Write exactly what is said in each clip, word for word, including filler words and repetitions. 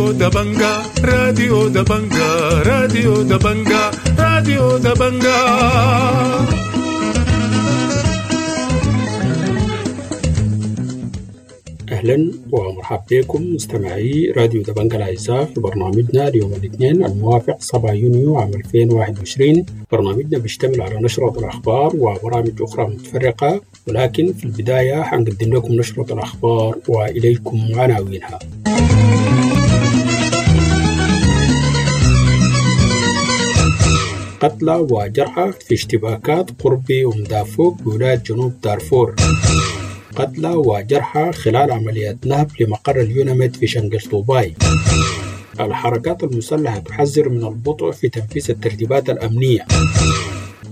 راديو دبنجا، راديو دبنجا، راديو دبنجا، راديو دبنجا. أهلا ومرحبا بكم مستمعي راديو دبنجا الأعزاء في برنامجنا اليوم الاثنين الموافق سبعة يونيو عام ألفين وواحد وعشرين. برنامجنا بيشتمل على نشرة الأخبار وبرامج أخرى متفرقة، ولكن في البداية حنقدم لكم نشرة الأخبار وإليكم عناوينها. قتلى وجرحى في اشتباكات قرب أم دافوق بولاية جنوب دارفور. قتلى وجرحى خلال عمليات نهب لمقر اليوناميد في شنقل طوباي. الحركات المسلحة تحذر من البطء في تنفيذ الترتيبات الأمنية.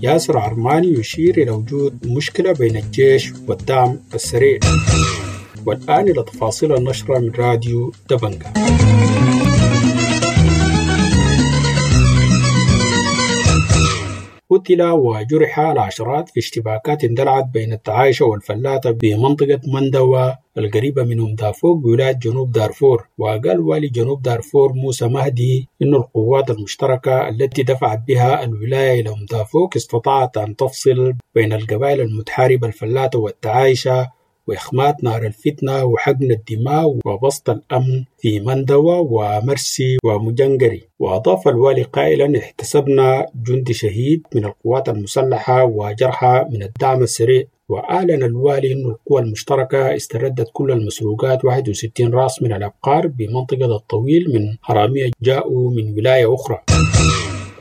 ياسر عرماني يشير إلى وجود مشكلة بين الجيش والدعم السريع. والآن إلى تفاصيل النشرة من راديو دبنجا. قتل وجرح العشرات في اشتباكات اندلعت بين التعايشة والفلاتة بمنطقة مندوى القريبة من أم دافوق بولاية جنوب دارفور. وقال والي جنوب دارفور موسى مهدي إن القوات المشتركة التي دفعت بها الولاية إلى أم دافوق استطاعت أن تفصل بين القبائل المتحاربة الفلاتة والتعايشة وإخماد نار الفتنة وحقن الدماء وبسط الأمن في مندوى ومرسي ومجنقري. وأضاف الوالي قائلا: احتسبنا جندي شهيد من القوات المسلحة وجرحى من الدعم السريع. وأعلن الوالي أن القوى المشتركة استردت كل المسروقات واحد وستين رأس من الأبقار بمنطقة الطويل من حرامية جاءوا من ولاية أخرى.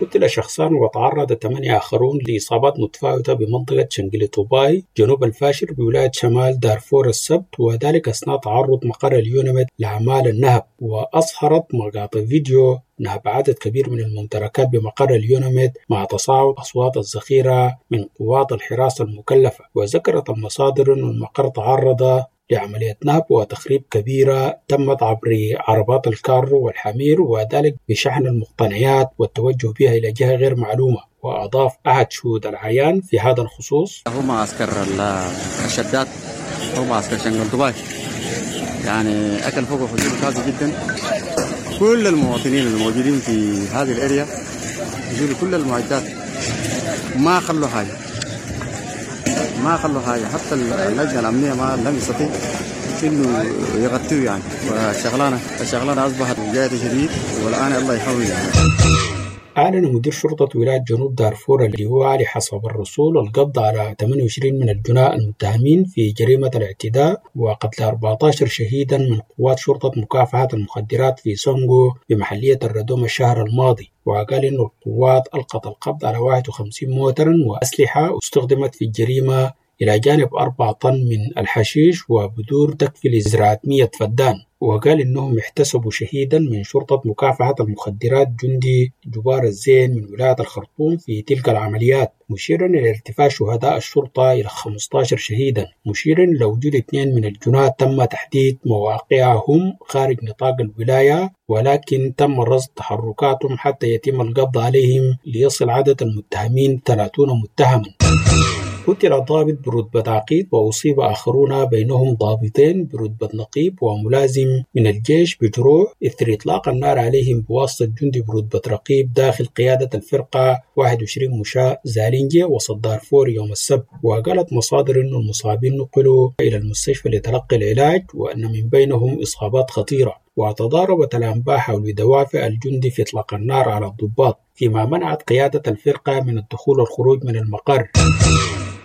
قتل شخصان وتعرض ثمانية آخرون لإصابات متفاوتة بمنطقة شنقل طوباي جنوب الفاشر بولاية شمال دارفور السبت، وذلك أثناء تعرض مقر اليوناميد لأعمال النهب. وأظهرت مقاطع فيديو نهب عدد كبير من الممتلكات بمقر اليوناميد مع تصاعد أصوات الذخيرة من قوات الحراسة المكلفة. وذكرت المصادر أن المقر تعرض لعملية نهب وتخريب كبيرة تمت عبر عربات الكار والحمير، وذلك بشحن المقتنيات والتوجه بها إلى جهة غير معلومة. وأضاف أحد شهود العيان في هذا الخصوص: هو معسكر الشداد، هو معسكر شنقل طوباي، يعني أكل فوق فجور كافي جدا. كل المواطنين الموجودين في هذه الأريا يشيلوا كل المعدات، ما خلوا حاجة، ما خلوا حاجة، حتى اللجنة الأمنية ما لم يستطيع إنه يغطيه يعني. والشغلانة الشغلانة أصبحت جاية شديد، والآن الله يحوي يعني. أعلن مدير شرطة ولاية جنوب دارفور اللواء علي حسب الرسول القبض على ثمانية وعشرين من الجناة المتهمين في جريمة الاعتداء وقتل أربعة عشر شهيدا من قوات شرطة مكافحة المخدرات في سونغو بمحلية الردوم الشهر الماضي. وقال إن القوات ألقت القبض على واحد وخمسين موترا وأسلحة استخدمت في الجريمة إلى جانب أربعة طن من الحشيش وبذور تكفي لزراعة مئة فدان. وقال إنهم احتسبوا شهيدا من شرطة مكافحة المخدرات جندي جبار الزين من ولاية الخرطوم في تلك العمليات، مشيرا إلى ارتفاع شهداء الشرطة إلى خمسة عشر شهيدا، مشيرا إلى وجود اثنين من الجناة تم تحديد مواقعهم خارج نطاق الولاية، ولكن تم رصد تحركاتهم حتى يتم القبض عليهم ليصل عدد المتهمين ثلاثون متهما. قتل ضابط برتبة عقيد وأصيب آخرون بينهم ضابطين برتبة نقيب وملازم من الجيش بجروح إثر إطلاق النار عليهم بواسطة جندي برتبة رقيب داخل قيادة الفرقة واحد وعشرين مشاة زالينجي وسط دارفور يوم السبت. وقالت مصادر أن المصابين نقلوا إلى المستشفى لتلقي العلاج وأن من بينهم إصابات خطيرة. وتضاربت الأنباء حول دوافع الجندي في إطلاق النار على الضباط، فيما منعت قيادة الفرقة من الدخول والخروج من المقر.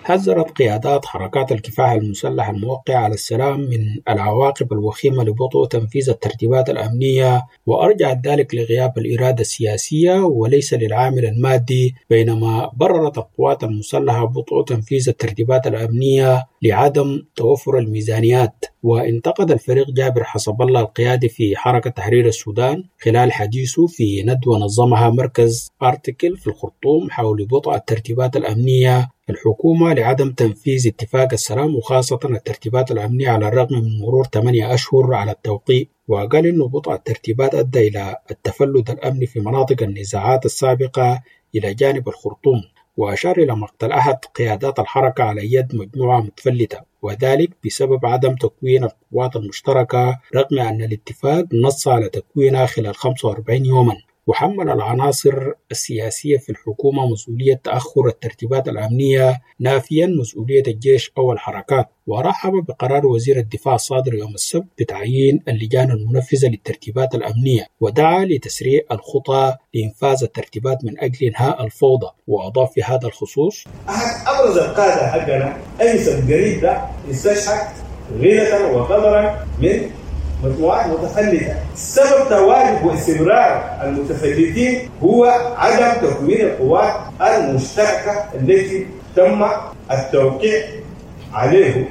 حذرت قيادات حركات الكفاح المسلح الموقعة على السلام من العواقب الوخيمة لبطء تنفيذ الترتيبات الأمنية، وأرجعت ذلك لغياب الإرادة السياسية وليس للعامل المادي، بينما بررت القوات المسلحة بطء تنفيذ الترتيبات الأمنية لعدم توفر الميزانيات. وانتقد الفريق جابر حسب الله القيادي في حركة تحرير السودان خلال حديثه في ندوة نظمها مركز أرتيكل في الخرطوم حول بطء الترتيبات الأمنية الحكومة لعدم تنفيذ اتفاق السلام وخاصة الترتيبات الأمنية على الرغم من مرور ثمانية أشهر على التوقيع. وقال إنه بطء الترتيبات أدى إلى التفلت الأمني في مناطق النزاعات السابقة إلى جانب الخرطوم. وأشار إلى مقتل أحد قيادات الحركة على يد مجموعة متفلتة، وذلك بسبب عدم تكوين القوات المشتركة رغم أن الاتفاق نص على تكوينها خلال خمسة وأربعين يوما. وحمل العناصر السياسية في الحكومة مسؤولية تأخر الترتيبات الأمنية، نافيا مسؤولية الجيش أو الحركات. ورحب بقرار وزير الدفاع الصادر يوم السبت بتعيين اللجان المنفذة للترتيبات الأمنية، ودعا لتسريع الخطى لإنفاذ الترتيبات من أجل إنهاء الفوضى. وأضاف في هذا الخصوص: أحد أبرز القادة حقنا أنس القريب ده استشهد غيرة وقدرا من مجموعات متفلتة. سبب تواجد واستمرار المتفلتين هو عدم تكوين القوات المشتركة التي تم التوقيع عليه،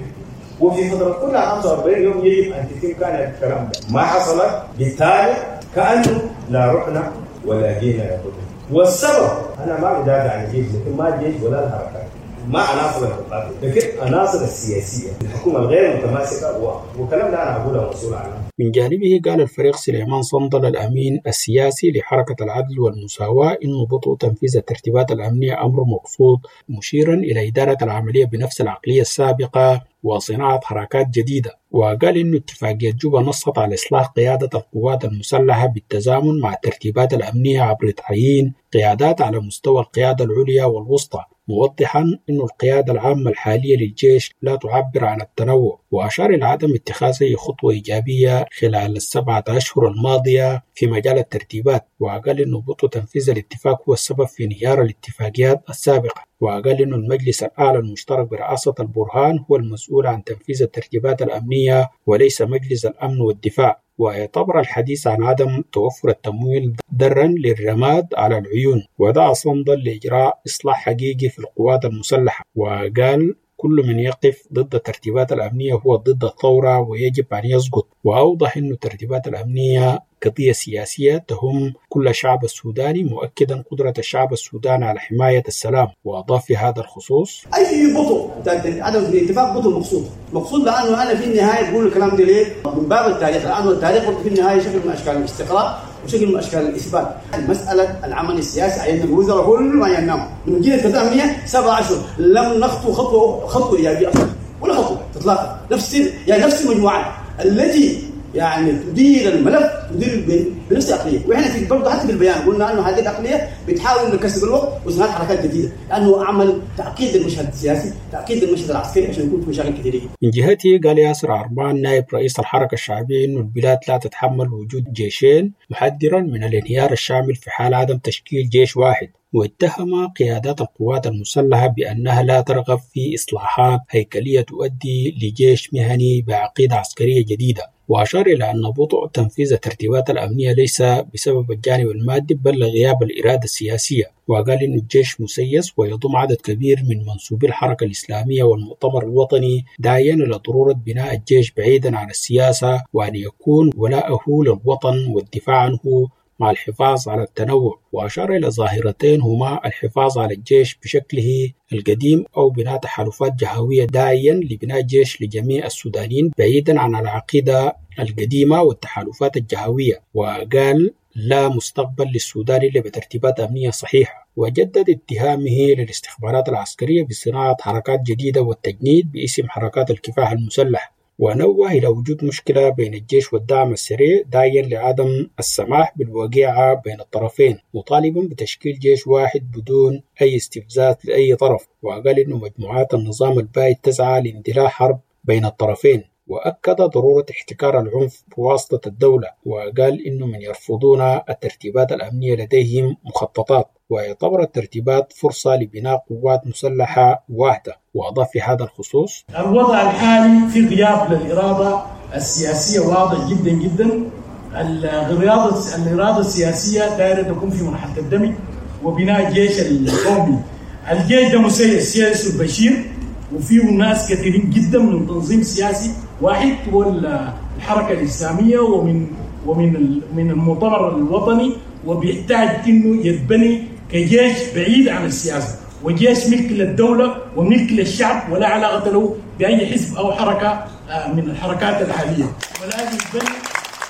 وفي فترة كلها خمسة وأربعين يوم يجب أن تتم. كان الكلام ده ما حصلت، بالتالي كأنه لا رحنا ولا جينا يا قدر. والسبب أنا ما بدافع عن الجيش، لكن ما الجيش ولا الحركات، ما عناصر المقاتل، لكن عناصر السياسية الحكومة الغير متماسكة، وكلام ده أنا أقوله مسؤول عنه. من جانبه قال الفريق سليمان صندل الأمين السياسي لحركة العدل والمساواة إنه بطء تنفيذ الترتيبات الأمنية أمر مقصود، مشيرا إلى إدارة العملية بنفس العقلية السابقة وصناعة حركات جديدة. وقال إنه اتفاقية جوبا نصت على إصلاح قيادة القوات المسلحة بالتزامن مع الترتيبات الأمنية عبر تعيين قيادات على مستوى القيادة العليا والوسطى، موضحا أن القيادة العامة الحالية للجيش لا تعبر عن التنوع. وأشار إلى عدم اتخاذ أي خطوة إيجابية خلال السبعة أشهر الماضية في مجال الترتيبات. وقال أنه بطء تنفيذ الاتفاق هو السبب في انهيار الاتفاقيات السابقة. وقال أن المجلس الأعلى المشترك برئاسة البرهان هو المسؤول عن تنفيذ الترتيبات الأمنية وليس مجلس الأمن والدفاع. ويعتبر الحديث عن عدم توفر التمويل درا للرماد على العيون. ودعا صندل لإجراء إصلاح حقيقي في القوات المسلحة، وقال كل من يقف ضد الترتيبات الأمنية هو ضد الثورة ويجب أن يسقط. وأوضح أن الترتيبات الأمنية قضية سياسية تهم كل الشعب السوداني، مؤكدا قدرة الشعب السوداني على حماية السلام. وأضاف في هذا الخصوص: أي بطء عدم الاتفاق بطء مقصود، مقصود لأنه أنا في النهاية بقول الكلام ده ليه؟ من باب التاريخ، لأنه التاريخ في النهاية شكل من أشكال الاستقراء وشكل من أشكال الإثبات. مسألة العمل السياسي عيننا الوزراء كل ما ينام من جيل الأمنية سبعة أشهر لم نخطو خطوة خطوة إيجابية أصلا ولا خطوة إطلاقا. نفس يعني نفس المجموعات التي يعني تدير الملف تدير بنفس العقلية، واحنا في برضه حتى في البيان قلنا انه هذه العقلية بتحاول انه تكسب الوقت وصناعة حركات جديدة، لانه عمل تعقيد المشهد السياسي، تعقيد المشهد العسكري عشان يكون في مشاكل كثيرة جدا. من جهته قال ياسر عرمان نائب رئيس الحركة الشعبية انه البلاد لا تتحمل وجود جيشين، محذرا من الانهيار الشامل في حال عدم تشكيل جيش واحد. واتهم قيادات القوات المسلحة بأنها لا ترغب في إصلاحات هيكلية تؤدي لجيش مهني بعقيدة عسكرية جديدة. وأشار إلى أن بطء تنفيذ الترتيبات الأمنية ليس بسبب الجانب المادي بل لغياب الإرادة السياسية. وقال إن الجيش مسيس ويضم عدد كبير من منسوبي الحركة الإسلامية والمؤتمر الوطني، داعيا إلى ضرورة بناء الجيش بعيدا عن السياسة وأن يكون ولاءه للوطن والدفاع عنه مع الحفاظ على التنوع. وأشار إلى ظاهرتين هما الحفاظ على الجيش بشكله القديم أو بناء تحالفات جهوية، داعيا لبناء جيش لجميع السودانيين بعيدا عن العقيدة القديمة والتحالفات الجهوية. وقال لا مستقبل للسودان إلا بترتيبات أمنية صحيحة. وجدد اتهامه للاستخبارات العسكرية بصناعة حركات جديدة والتجنيد باسم حركات الكفاح المسلح. ونوه إلى وجود مشكلة بين الجيش والدعم السريع، داعيا لعدم السماح بالوقيعة بين الطرفين، مطالبا بتشكيل جيش واحد بدون أي استفزاز لأي طرف. وقال إنه مجموعات النظام البائد تسعى لاندلاع حرب بين الطرفين. وأكد ضرورة احتكار العنف بواسطة الدولة. وقال إنه من يرفضون الترتيبات الأمنية لديهم مخططات، ويعتبر الترتيبات فرصة لبناء قوات مسلحة واحدة. وأضاف في هذا الخصوص: الوضع الحالي في غياب للإرادة السياسية واضح جدا جدا. الإرادة الإرادة السياسية دائرة تكون في مرحلة الدمج وبناء الجيش القومي. الجيش ده مسيس سياسي البشير، وفيه ناس كثيرين جدا من تنظيم سياسي واحد هو الحركة الإسلامية ومن ومن من المؤتمر الوطني، وبيحتاج انه يتبني كجيش بعيد عن السياسة، وجيش ملك للدولة وملك للشعب ولا علاقة له بأي حزب أو حركة من الحركات الحالية. ولازم يتبني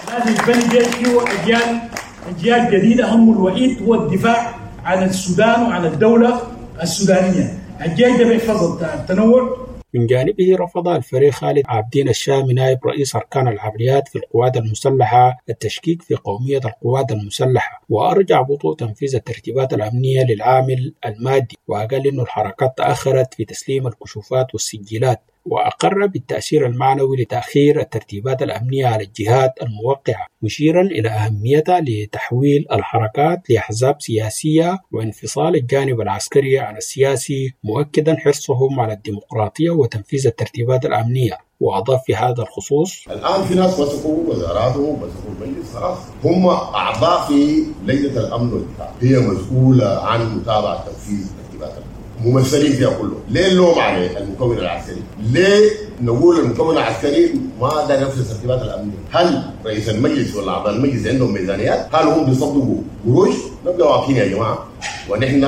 لازم يتبني جيش فيه أجيال أجيال جديدة همه الوحيد هو الدفاع عن السودان وعن الدولة السودانية. الجيش ده بيحفظ التنوع. من جانبه رفض الفريق خالد عابدين الشامي نائب رئيس أركان العمليات في القوات المسلحة التشكيك في قومية القوات المسلحة، وأرجع بطء تنفيذ الترتيبات الأمنية للعامل المادي، وقال إنه الحركات تأخرت في تسليم الكشوفات والسجلات، وأقر بالتأثير المعنوي لتأخير الترتيبات الأمنية على الجهات الموقعة، مشيرا إلى أهميتها لتحويل الحركات لأحزاب سياسية وانفصال الجانب العسكري عن السياسي، مؤكدا حرصهم على الديمقراطية وتنفيذ الترتيبات الأمنية. وأضاف في هذا الخصوص: الآن في ناس مسكوا وزاراتهم مسكوا المجلس، خلاص هم أعضاء في لجنة الأمن والدفاع، هي مسؤولة عن متابعة تنفيذ الترتيبات الأمنية، ممثلين فيها كلهم. ليه اللوم على المكون العسكري؟ ليه نقول المكون العسكري ما دار ينفذ الترتيبات الامنيه؟ هل رئيس المجلس ولا اعضاء المجلس عندهم ميزانيات؟ هل هم بيصدقوا قروش؟ نبقى واقفين يا جماعه، ونحن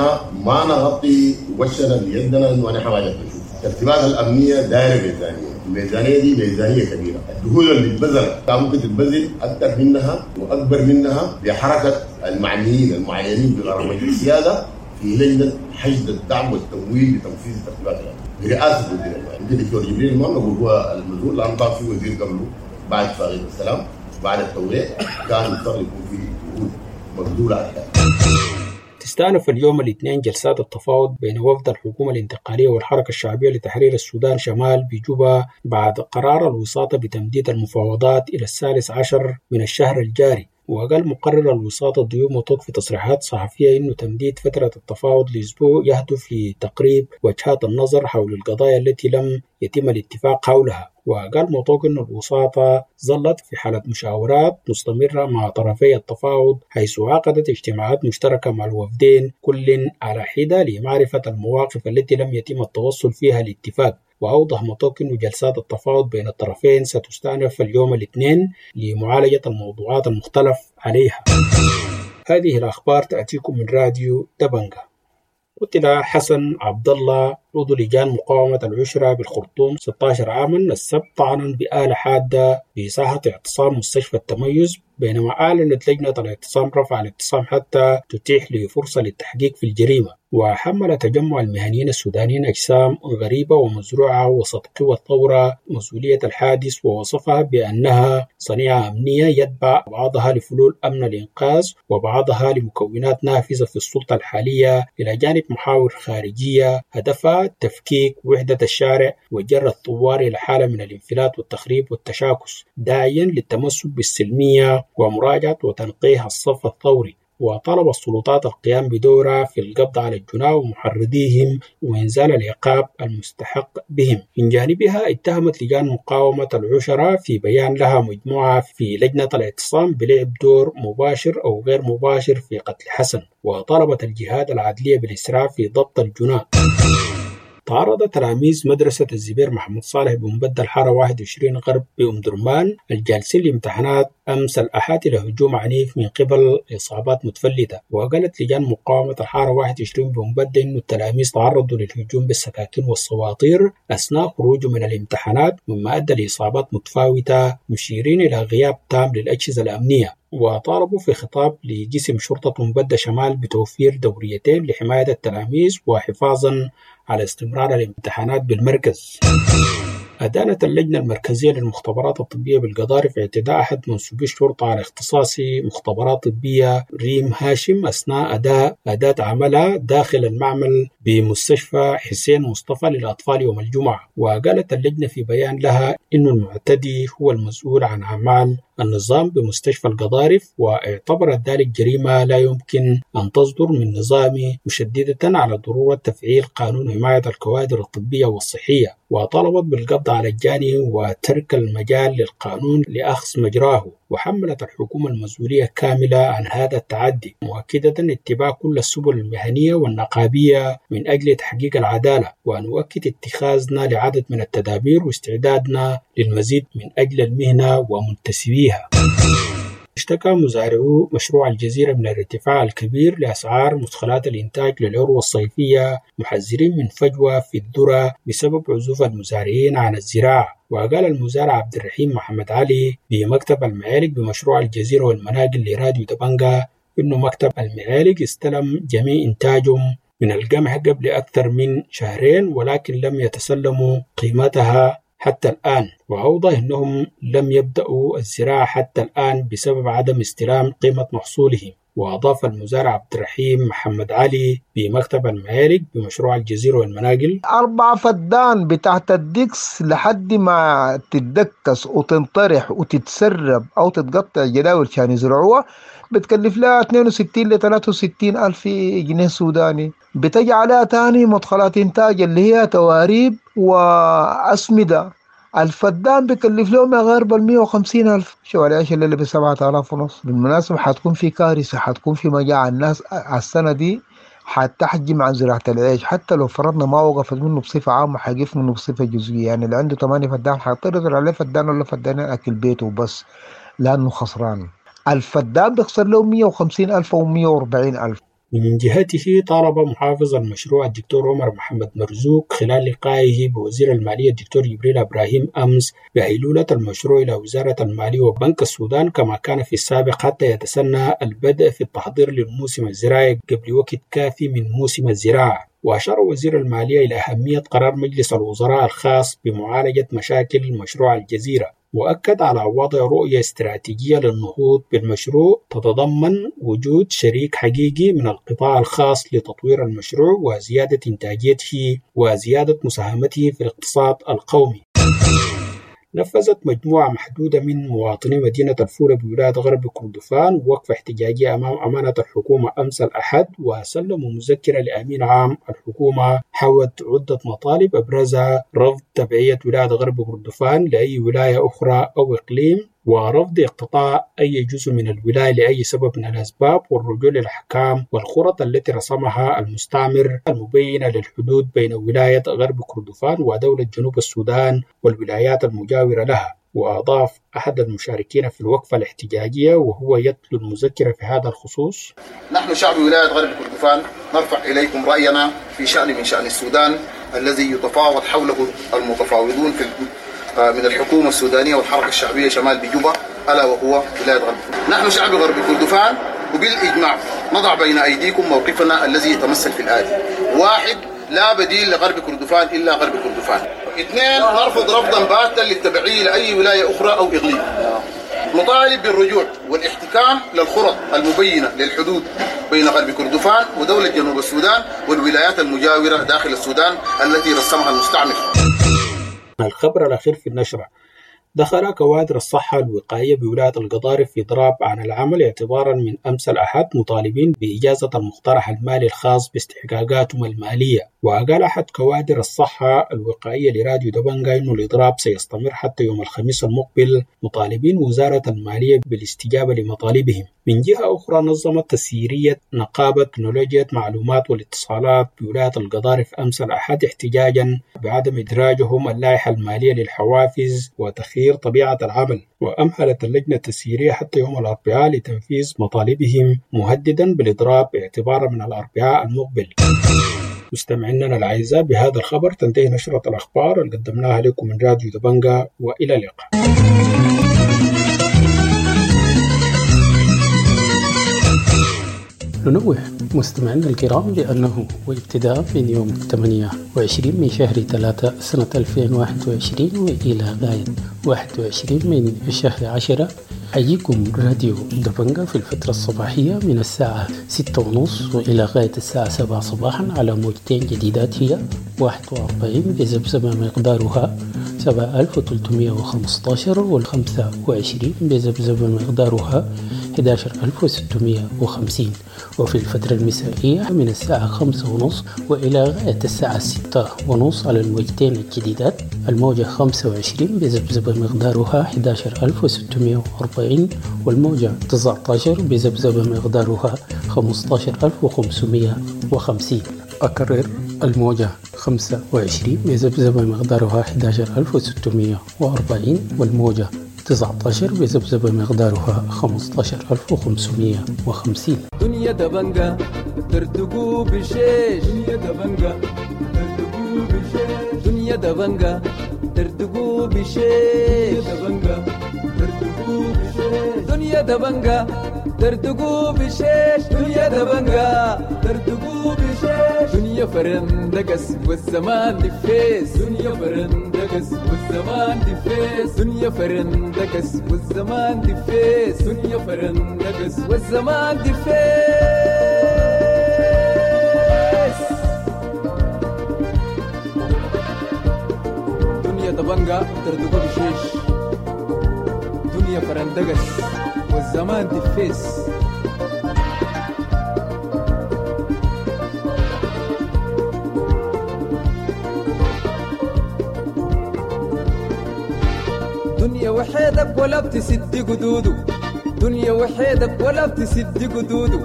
ما نغطي وشنا بيدنا انه نحن ما نشوف. الترتيبات الامنيه دايره ميزانيه، الميزانيه دي ميزانيه كبيره، الجهود اللي اتبذلت كان ممكن تتبذل اكثر منها واكبر منها بحركه المعنيين المعينين بقرار مجلس السياده في لجنة حشد الدعم والتمويل لتنفيذ الترتيبات الأمنية برئاسة وزير المالية. يمكن الدكتور جبريل ما نقول هو المسؤول، لأنه كان في وزير قبله بعد اتفاقية السلام بعد التوقيع كان مضطر يكون في جهود مبذولة أكثر. تستأنف اليوم الاثنين جلسات التفاوض بين وفد الحكومة الانتقالية والحركة الشعبية لتحرير السودان شمال بجوبا بعد قرار الوساطة بتمديد المفاوضات إلى الثالث عشر من الشهر الجاري. وقال مقرر الوساطة ضيوف مطوق في تصريحات صحفية إنه تمديد فترة التفاوض لأسبوع يهدف لتقريب وجهات النظر حول القضايا التي لم يتم الاتفاق حولها. وقال مطوق إن الوساطة ظلت في حالة مشاورات مستمرة مع طرفي التفاوض، حيث عقدت اجتماعات مشتركة مع الوفدين كل على حدة لمعرفة المواقف التي لم يتم التوصل فيها لاتفاق. وأوضح مطوق أن جلسات التفاوض بين الطرفين ستستأنف اليوم الاثنين لمعالجة الموضوعات المختلف عليها. هذه الأخبار تأتيكم من راديو دبنجة. قتل حسن عبد الله عضو لجان مقاومة العشرة بالخرطوم ستة عشر عاما السبت طعنا بآلة حادة بساحة اعتصام مستشفى التميز، بينما أعلنت لجنة الاعتصام رفع الاعتصام حتى تتيح لفرصة للتحقيق في الجريمة. وحمل تجمع المهنيين السودانيين أجسام غريبة ومزروعة وسط قوى الثورة مسؤولية الحادث، ووصفها بأنها صنيعة أمنية يتبع بعضها لفلول أمن الإنقاذ وبعضها لمكونات نافذة في السلطة الحالية، إلى جانب محاور خارجية هدفها تفكيك وحدة الشارع وجر الثوار إلى حالة من الانفلات والتخريب والتشاكس، داعيا للتمسك بالسلمية ومراجعة وتنقيح الصف الثوري. وطلب السلطات القيام بدورها في القبض على الجناة ومحرضيهم وإنزال العقاب المستحق بهم. من جانبها اتهمت لجان مقاومة العشرة في بيان لها مجموعة في لجنة الاعتصام بلعب دور مباشر أو غير مباشر في قتل حسن، وطلبت الجهات العدلية بالإسراع في ضبط الجناة. تعرض تلاميذ مدرسة الزبير محمد صالح بمبدل حارة واحد وعشرين غرب بأم درمان الجالسين لامتحانات أمس الأحد إلى هجوم عنيف من قبل إصابات متفلتة. وقالت لجان مقاومة الحارة واحد وعشرين بمبدل أن التلاميذ تعرضوا للهجوم بالسكاكين والسواطير أثناء خروجهم من الامتحانات، مما أدى لإصابات متفاوتة، مشيرين إلى غياب تام للأجهزة الأمنية. وطالبوا في خطاب لجسم شرطة مبدة شمال بتوفير دوريتين لحماية التلاميذ وحفاظا على استمرار الامتحانات بالمركز. أدانت اللجنة المركزية للمختبرات الطبية بالقضارف اعتداء أحد منسوبي الشرطة على اختصاصي مختبرات طبية ريم هاشم أثناء أداء أداة عملها داخل المعمل بمستشفى حسين مصطفى للأطفال يوم الجمعة. وقالت اللجنة في بيان لها إن المعتدي هو المسؤول عن أعمال النظام بمستشفى القضارف، واعتبرت ذلك جريمة لا يمكن أن تصدر من نظامه، مشددة على ضرورة تفعيل قانون حماية الكوادر الطبية والصحية، وطلبت بالقبض على الجاني وترك المجال للقانون لأخذ مجراه. وحملت الحكومة المسؤولية كاملة عن هذا التعدي، مؤكدة اتباع كل السبل المهنية والنقابية من أجل تحقيق العدالة، ونؤكد اتخاذنا لعدد من التدابير واستعدادنا للمزيد من أجل المهنة ومنتسبيها. اشتكى مزارعو مشروع الجزيرة من الارتفاع الكبير لأسعار مدخلات الإنتاج للعروة الصيفية، محذرين من فجوة في الذرة بسبب عزوف المزارعين عن الزراعة. وقال المزارع عبد الرحيم محمد علي بمكتب المعالج بمشروع الجزيرة والمناجل لراديو دبنجا إنه مكتب المعالج استلم جميع إنتاجهم من القمح قبل أكثر من شهرين، ولكن لم يتسلموا قيمتها حتى الآن. وأوضح أنهم لم يبدأوا الزراعة حتى الآن بسبب عدم استلام قيمة محصولهم. وأضاف المزارع عبد الرحيم محمد علي بمكتب المعارك بمشروع الجزيرة والمناقل: أربعة فدان بتاعت الدكس لحد ما تتدكس وتنطرح وتتسرب أو تتقطع جداول عشان يزرعوها بتكلف لها اثنين وستين ل ثلاثة وستين ألف جنيه سوداني. بتجي عليها تاني مدخلات إنتاج اللي هي تواريب وأسمدة. الفدان بيكلف لهم يا غير بال مية وخمسين ألف. شو العيش اللي ب سبعة آلاف ونص. بالمناسبة حتكون في كارثة، حتكون في مجاعة. الناس على السنة دي حتحجم عن زراعة العيش، حتى لو فرضنا ما وقفت منه بصفة عامة حيقف منه بصفة جزئية. يعني اللي عنده ثمانية فدان حيضطر يزرع عليه فدان ولا فدانين أكل بيته وبس، لأنه خسران. الفدان بيخسر له مية وخمسين ألف أو مية وأربعين ألف. من جهته طالب محافظ المشروع الدكتور عمر محمد مرزوق خلال لقائه بوزير المالية الدكتور جبريل إبراهيم أمس بهيلولة المشروع إلى وزارة المالية وبنك السودان كما كان في السابق حتى يتسنى البدء في التحضير للموسم الزراعي قبل وقت كافي من موسم الزراعة. وأشار وزير المالية إلى أهمية قرار مجلس الوزراء الخاص بمعالجة مشاكل مشروع الجزيرة، وأكد على وضع رؤية استراتيجية للنهوض بالمشروع تتضمن وجود شريك حقيقي من القطاع الخاص لتطوير المشروع وزيادة إنتاجيته وزيادة مساهمته في الاقتصاد القومي. نفذت مجموعة محدودة من مواطني مدينة الفولة بولاية غرب كردفان وقفة احتجاجية أمام أمانة الحكومة أمس الأحد، وسلموا مذكرة لأمين عام الحكومة حوت عدة مطالب أبرزها رفض تبعية ولاية غرب كردفان لأي ولاية أخرى أو إقليم، ورفض اقتطاع أي جزء من الولاية لأي سبب من الأسباب، والرجوع للأحكام والخرط التي رسمها المستعمر المبينة للحدود بين ولاية غرب كردفان ودولة جنوب السودان والولايات المجاورة لها. وأضاف أحد المشاركين في الوقفة الاحتجاجية وهو يتلو المذكرة في هذا الخصوص: نحن شعب ولاية غرب كردفان نرفع إليكم رأينا في شأن من شأن السودان الذي يتفاوض حوله المتفاوضون في من الحكومة السودانية والحركة الشعبية شمال بجوبة، ألا وهو ولاية غرب كردفان. نحن شعب غرب كردفان وبالإجماع نضع بين أيديكم موقفنا الذي يتمثل في الآتي: واحد، لا بديل لغرب كردفان إلا غرب كردفان. اثنين، نرفض رفضا باتا للتبعية لأي ولاية أخرى أو إقليم. نطالب بالرجوع والاحتكام للخرط المبينة للحدود بين غرب كردفان ودولة جنوب السودان والولايات المجاورة داخل السودان التي رسمها المستعمر. الخبر الأخير في النشرة: دخل كوادر الصحة الوقائية بولاية القضارف في إضراب عن العمل اعتبارا من أمس الأحد، مطالبين بإجازة المقترح المالي الخاص باستحقاقاتهم المالية. وقال أحد كوادر الصحة الوقائية لراديو دبنجا إنه الإضراب سيستمر حتى يوم الخميس المقبل، مطالبين وزارة المالية بالاستجابة لمطالبهم. من جهة أخرى نظمت تسييرية نقابة تكنولوجيا معلومات والاتصالات بولاية القضارف أمس الأحد احتجاجا بعدم إدراجهم اللائحة المالية للحوافز وتخيير طبيعة العمل. وأمهلت اللجنة التسييرية حتى يوم الأربعاء لتنفيذ مطالبهم، مهددا بالإضراب اعتبارا من الأربعاء المقبل. مستمعينا الأعزاء، بهذا الخبر تنتهي نشرة الأخبار اللي قدمناها لكم من راديو دبنجا، وإلى اللقاء. ننوه مستمعينا الكرام بأنه وابتداء من يوم ثمانية وعشرين من شهر ثلاثة سنة ألفين وواحد وعشرين وإلى غاية واحد وعشرين من شهر عشرة حيجيكم راديو دبنجا في الفترة الصباحية من الساعة ستة ونص وإلى غاية الساعة سبعة صباحا على موجتين جديدات، هي واحد وأربعين بذبذبة مقدارها سبعة ألف وثلاثمائة وخمسة عشر والخمسة وعشرين بذبذبة مقدارها أحد عشر ألف وستمائة وخمسين. وفي الفترة المسائية من الساعة خمسة ونص وإلى غاية الساعة ستة ونص على الموجتين الجديدات، الموجة خمسة وعشرين بذبذبة مقدارها أحد عشر ألف وستمائة وأربعين والموجة تسعة عشر بذبذبة مقدارها خمسة عشر ألف وخمسمائة وخمسين. أكرر، الموجة خمسة وعشرين بذبذبة مقدارها أحد عشر ألف وستمائة وأربعين والموجة تسعة عشر بذبذبة مقدارها خمسة عشر ألف وخمسمائة وخمسين. دنيا دبنجا ترتقو بشيش، دنيا دبنجا ترتقو بشيش، دنيا دبنجا دردقوا بشيش دبنجة دردقوا بشيش دنيا دبنجة دردقوا بشيش دنيا دبنجة دردقوا بشيش دنيا فرندقس والزمان دفيس دنيا فرندقس والزمان دفيس دنيا فرندقس والزمان دفيس دنيا فرندقس والزمان دفيس. دنيا دبنجة دردقوا بشيش دنيا فرندقس والزمان دفيس. دنيا وحيدك ولا بتسد قدوده دنيا وحيدك ولا بتسد قدوده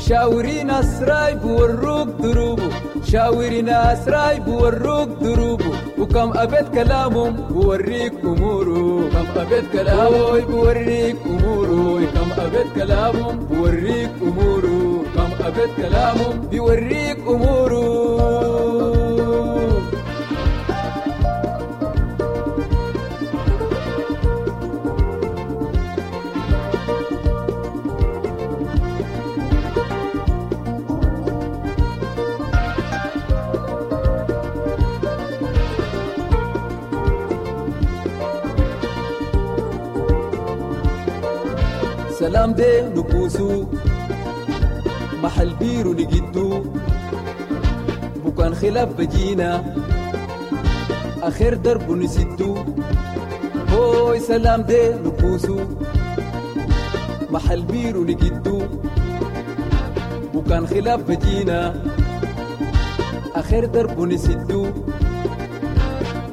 شاوري ناس رايب وروك دروبه شاوري ناس رايب وروك دروبه وكم أبيت كلامهم بوريك أموره كم أبيت كلامه بوريك أموره كم أبيت كلامهم بوريك أموره كم أبيت كلامهم بيوريك أموره. سلام دي نكوسو محل بيرو نجدو بكان خلاف بجينا آخر درب نسدو هوي سلام دي نكوسو محل بيرو نجدو بكان خلاف بجينا آخر درب نسدو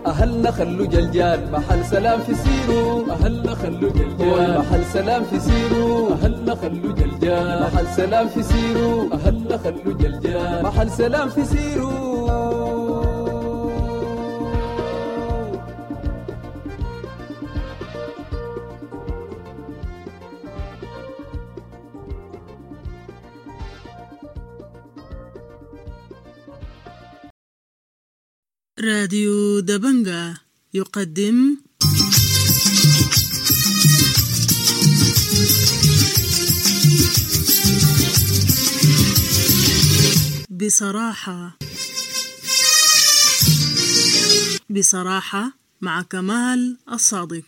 أهلنا خلو جلجال محل سلام في سيرو أهلنا خلو جلجال محل سلام في سيرو أهلنا خلو جلجال محل سلام في سيرو أهلنا خلو جلجال محل سلام في سيرو. راديو دبنجة يقدم بصراحة بصراحة مع كمال الصادق.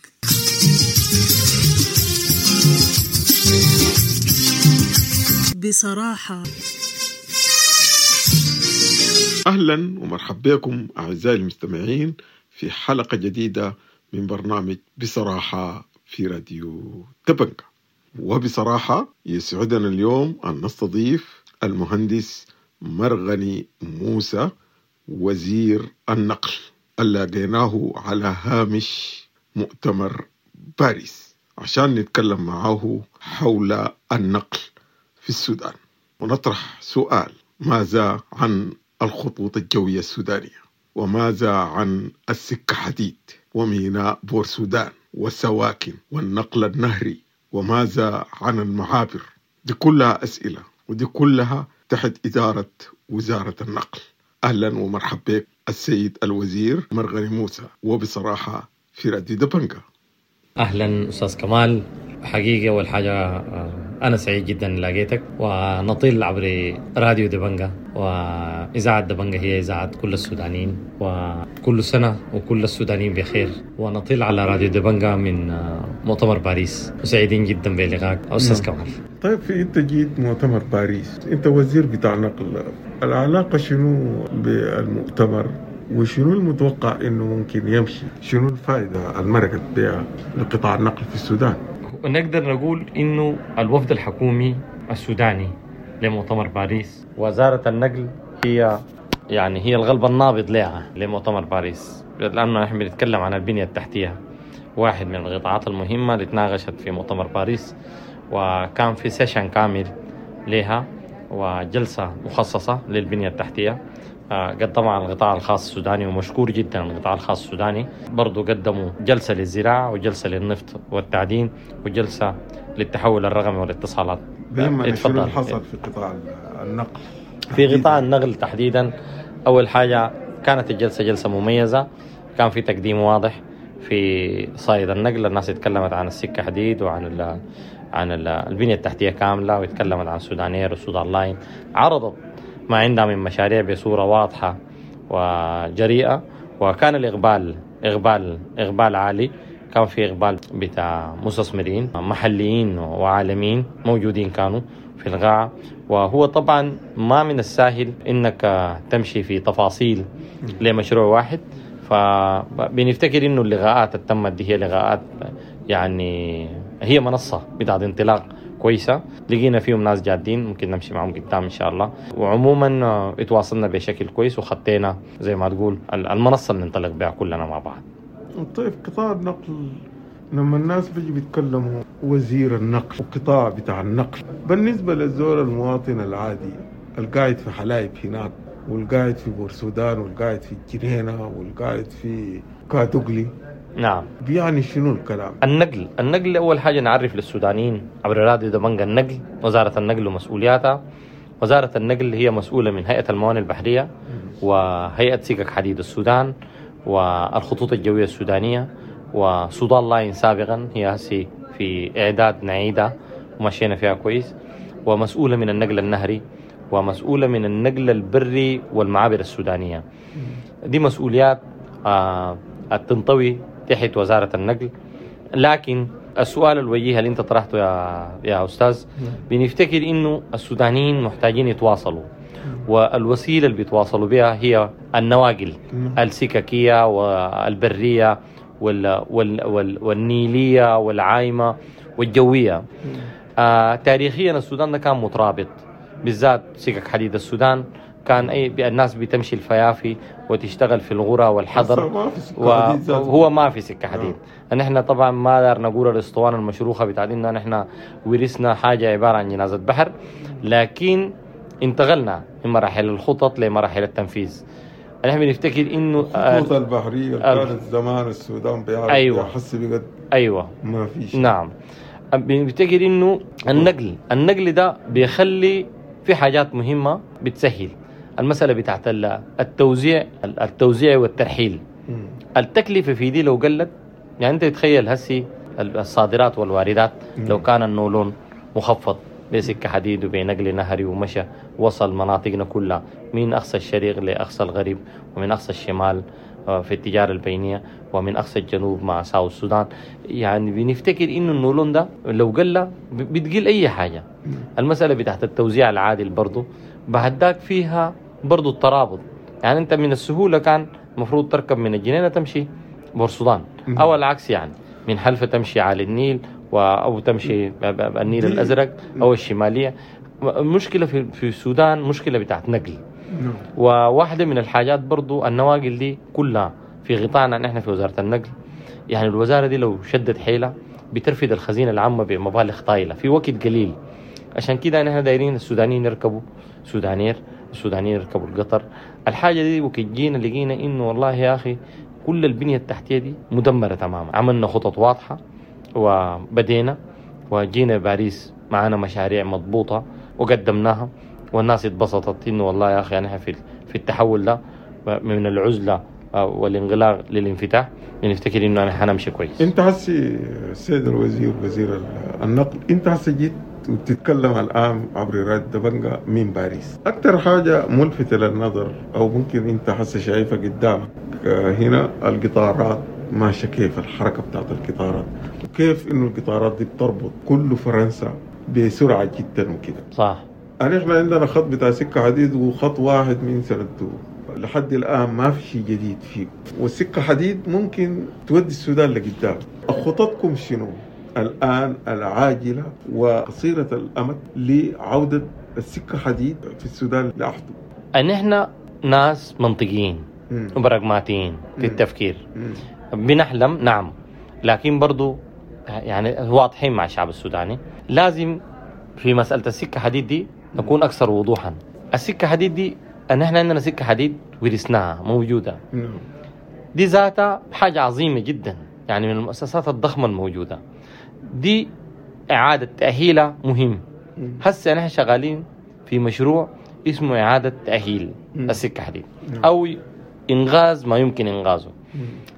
بصراحة أهلا ومرحبا بكم أعزائي المستمعين في حلقة جديدة من برنامج بصراحة في راديو دبنجة. وبصراحة يسعدنا اليوم أن نستضيف المهندس مرغني موسى وزير النقل اللي لقيناه على هامش مؤتمر باريس عشان نتكلم معه حول النقل في السودان ونطرح سؤال: ماذا عن الخطوط الجوية السودانية؟ وماذا عن السكة حديد وميناء بور سودان والسواكن والنقل النهري؟ وماذا عن المعابر؟ دي كلها أسئلة ودي كلها تحت إدارة وزارة النقل. أهلا ومرحبا بك السيد الوزير مرغني موسى، وبصراحة في راديو دبنجة. أهلا أستاذ كمال، حقيقة أول حاجة أنا سعيد جدا لقيتك، ونطيل عبر راديو دبنجة، وإذاعة دبنجة هي إذاعة كل السودانيين، وكل سنة وكل السودانيين بخير. ونطيل على راديو دبنجة من مؤتمر باريس، وسعيدين جدا بلقائك أستاذ كمال. طيب، في أنت جيت مؤتمر باريس، أنت وزير بتاع نقل، العلاقة شنو بالمؤتمر وشنو المتوقع إنه ممكن يمشي؟ شنو الفائدة المرقت بها لقطاع النقل في السودان؟ نقدر نقول إنه الوفد الحكومي السوداني لمؤتمر باريس، وزارة النقل هي يعني هي القلب النابض لها لمؤتمر باريس، لأنه نحن بنتكلم عن البنية التحتية، واحد من القطاعات المهمة اللي تناقشت في مؤتمر باريس، وكان في session كامل لها وجلسة مخصصة للبنية التحتية قدمها القطاع الخاص السوداني، ومشكور جدا القطاع الخاص السوداني. برضو قدموا جلسة للزراعة وجلسة للنفط والتعدين وجلسة للتحول الرقمي والاتصالات. اتفضل. حصل في قطاع النقل؟ في قطاع النقل تحديدا، أول حاجة كانت الجلسة جلسة مميزة، كان في تقديم واضح في صعيد النقل. الناس اتكلمت عن السكة حديد وعن ال عن ال البنية التحتية كاملة، واتكلمت عن سودانير وسودان لاين، عرضت ما عندها من مشاريع بصورة واضحة وجريئة، وكان الإقبال إقبال إقبال عالي. كان في إقبال بتاع مستثمرين محليين وعالميين موجودين كانوا في القاعة. وهو طبعا ما من السهل إنك تمشي في تفاصيل لمشروع واحد، فبنفتكر إنه اللقاءات اللي تمت دي هي لقاءات يعني هي منصة بتاعت انطلاق كويسة، لقينا فيهم ناس جادين ممكن نمشي معهم قدام إن شاء الله. وعموما اتواصلنا بشكل كويس وخطينا زي ما تقول المنصة اللي ننطلق بها كلنا مع بعض. طيب قطاع النقل، لما الناس بيجي بيتكلموا وزير النقل وقطاع بتاع النقل، بالنسبة للزول المواطن العادي القاعد في حلايب هناك والقاعد في بورسودان والقاعد في الجنينة والقاعد في كادوغلي، نعم، بيعني شنو الكلام؟ النقل، النقل أول حاجة نعرف للسودانيين عبر راديو دبنجا النقل، وزارة النقل ومسؤولياتها. وزارة النقل هي مسؤولة من هيئة الموانئ البحرية وهيئة سكك حديد السودان والخطوط الجوية السودانية وسودان لاين سابقا، هي هسي في إعداد نعيدة ومشينا فيها كويس، ومسؤولة من النقل النهري ومسؤولة من النقل البري والمعابر السودانية. دي مسؤوليات آه تنطوي تحت وزارة النقل. لكن السؤال الوجيه اللي انت طرحته يا يا أستاذ، بنفتكر إنه السودانيين محتاجين يتواصلوا، والوسيلة اللي بيتواصلوا بها هي النواقل السككية والبرية وال وال وال والنيلية والعايمة والجوية. آه تاريخيا السودان ده كان مترابط، بالذات سكك حديد السودان كان أي الناس بتمشي الفيافي وتشتغل في الغرة والحضر، وهو ما في سكة حديد. نحن طبعا ما دار نقول الاسطوانة المشروخة بتاعت إنه نحن ورثنا حاجة عبارة عن جنازة بحر، لكن انتقلنا من مراحل الخطط لمراحل التنفيذ. نحن بنفتكر إنه الخطوط البحرية كانت زمان السودان بيعرف، أيوة، يحس بقد، أيوة، ما فيش. نعم، بنفتكر إنه النقل النقل ده بيخلي في حاجات مهمة بتسهل المسألة بتاعت التوزيع التوزيع والترحيل. التكلفة في دي لو قلت، يعني أنت تتخيل هسي الصادرات والواردات لو كان النولون مخفض بسكة حديد وبنقل نهري ومشى وصل مناطقنا كلها من أقصى الشرق لأقصى الغرب ومن أقصى الشمال في التجارة البينية ومن أقصى الجنوب مع ساوث السودان، يعني بنفتكر إنه النولون ده لو قل بتقل أي حاجة. المسألة بتاعت التوزيع العادل برضو بعد ذاك فيها برضو الترابط، يعني أنت من السهولة كان مفروض تركب من الجنينة تمشي بورسودان أو العكس، يعني من حلفة تمشي على النيل أو تمشي النيل الأزرق أو الشمالية. المشكلة في في السودان مشكلة بتاعت نقل، وواحدة من الحاجات برضو النواقل دي كلها في غطانا نحن في وزارة النقل. يعني الوزارة دي لو شدت حيلة بترفد الخزينة العامة بمبالغ طايلة في وقت قليل. عشان كده نحن دايرين السودانيين يركبوا سودانير، السودانيين يركبوا القطر. الحاجة دي وكجينا لقينا إنه والله يا أخي كل البنية التحتية دي مدمرة تماما. عملنا خطط واضحة وبدينا وجينا باريس معانا مشاريع مضبوطة وقدمناها، والناس اتبسطت إنه والله يا أخي نحن في في التحول ده من العزلة والانغلاق للانفتاح بنفتكر إنه أنا حنمشي كويس. أنت هسي السيد الوزير وزير النقل، أنت هسي جيت وبتتكلم الآن عبر راديو دبنجا من باريس. أكثر حاجة ملفتة للنظر أو ممكن أنت هسي شايفها قدامك هنا القطارات ماشية كيف، الحركة بتاعت القطارات وكيف إنه القطارات دي بتربط كل فرنسا بسرعة جدا وكده. صح. يعني إحنا عندنا خط بتاع سكة حديد وخط واحد من سنته لحد الآن ما في شيء جديد فيه، والسكة حديد ممكن تودي السودان لقدام. خططكم شنو الآن العاجلة وقصيرة الأمد لعودة السكة حديد في السودان لأحده؟ أن إحنا ناس منطقيين وبراغماتيين في التفكير، بنحلم نعم، لكن برضو يعني واضحين مع الشعب السوداني. لازم في مسألة السكة حديد دي نكون أكثر وضوحا. السكة حديد دي أن إحنا عندنا سكة حديد ورثناها موجودة، دي ذاتها حاجة عظيمة جدا، يعني من المؤسسات الضخمة الموجودة دي إعادة تأهيلها مهم. هسه نحن شغالين في مشروع اسمه إعادة تأهيل السكة حديد أو إنغاز ما يمكن إنغازه.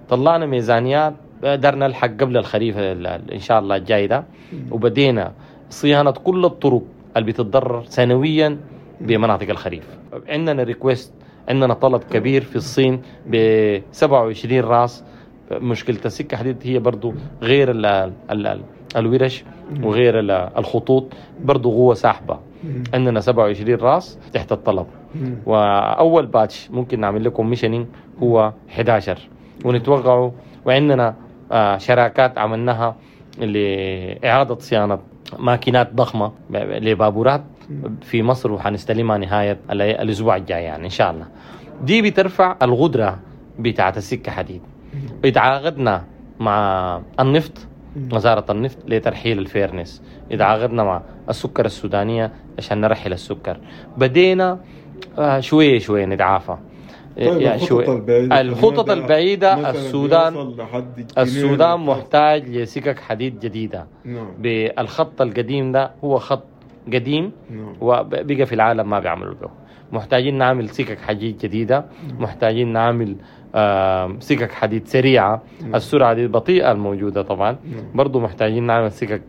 طلعنا ميزانيات قدرنا نلحق قبل الخريف ان شاء الله الجاي ده، وبدينا صيانة كل الطرق اللي بتتضرر سنويا بمناطق الخريف. عندنا request، عندنا طلب كبير في الصين ب سبعة وعشرين راس. مشكلة السكة حديد هي برضو غير ال ال الورش وغير الخطوط، برضو قوة ساحبة. عندنا سبعة وعشرين راس تحت الطلب، وأول batch ممكن نعمل لكم commissioning هو أحد عشر ونتوقعه. وعندنا شراكات عملناها لإعادة صيانة ماكينات ضخمة لبابورات في مصر، وحنستلمها نهاية الأسبوع الجاي يعني إن شاء الله. دي بترفع القدرة بتاعة السكة حديد. اتعاقدنا مع النفط، وزارة النفط لترحيل الفيرنس، اتعاقدنا مع السكر السودانية عشان نرحل السكر. بدينا شوية شوية نتعافى. طيب يعني الخطط شوية. البعيدة الخطط البعيدة، السودان السودان محتاج لسكك حديد جديدة. نعم. بالخط القديم ده هو خط قديم نعم. وبقى في العالم ما بيعملوا به. محتاجين نعمل سكك حديد جديدة، محتاجين نعمل آه سكك حديد سريعة. نعم. السرعة دي البطيئة الموجودة طبعا. نعم. برضو محتاجين نعمل سكك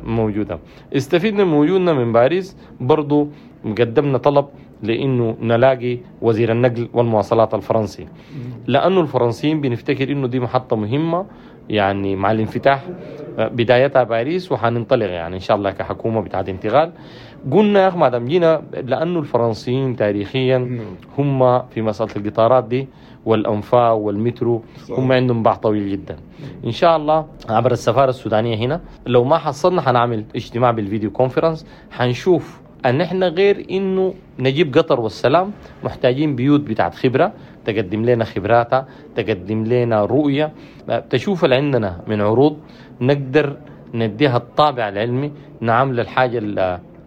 موجودة. استفدنا من وجودنا من باريس، برضو قدمنا طلب لأنه نلاقي وزير النقل والمواصلات الفرنسي، لأنه الفرنسيين بنفتكر إنه دي محطة مهمة يعني مع الانفتاح بدايتها باريس، وحننطلق يعني إن شاء الله كحكومة بتاعت انتقال. قلنا يا أخي ما دام جينا، لأنه الفرنسيين تاريخيا هم في مسألة القطارات دي والأنفاق والمترو هم عندهم باع طويل جدا. إن شاء الله عبر السفارة السودانية هنا لو ما حصلنا حنعمل اجتماع بال video conference، حنشوف أن احنا غير إنه نجيب قطر والسلام محتاجين بيوت بتاعت خبرة تقدم لنا خبراتها، تقدم لنا رؤية، تشوف اللي عندنا من عروض نقدر نديها الطابع العلمي، نعمل الحاجة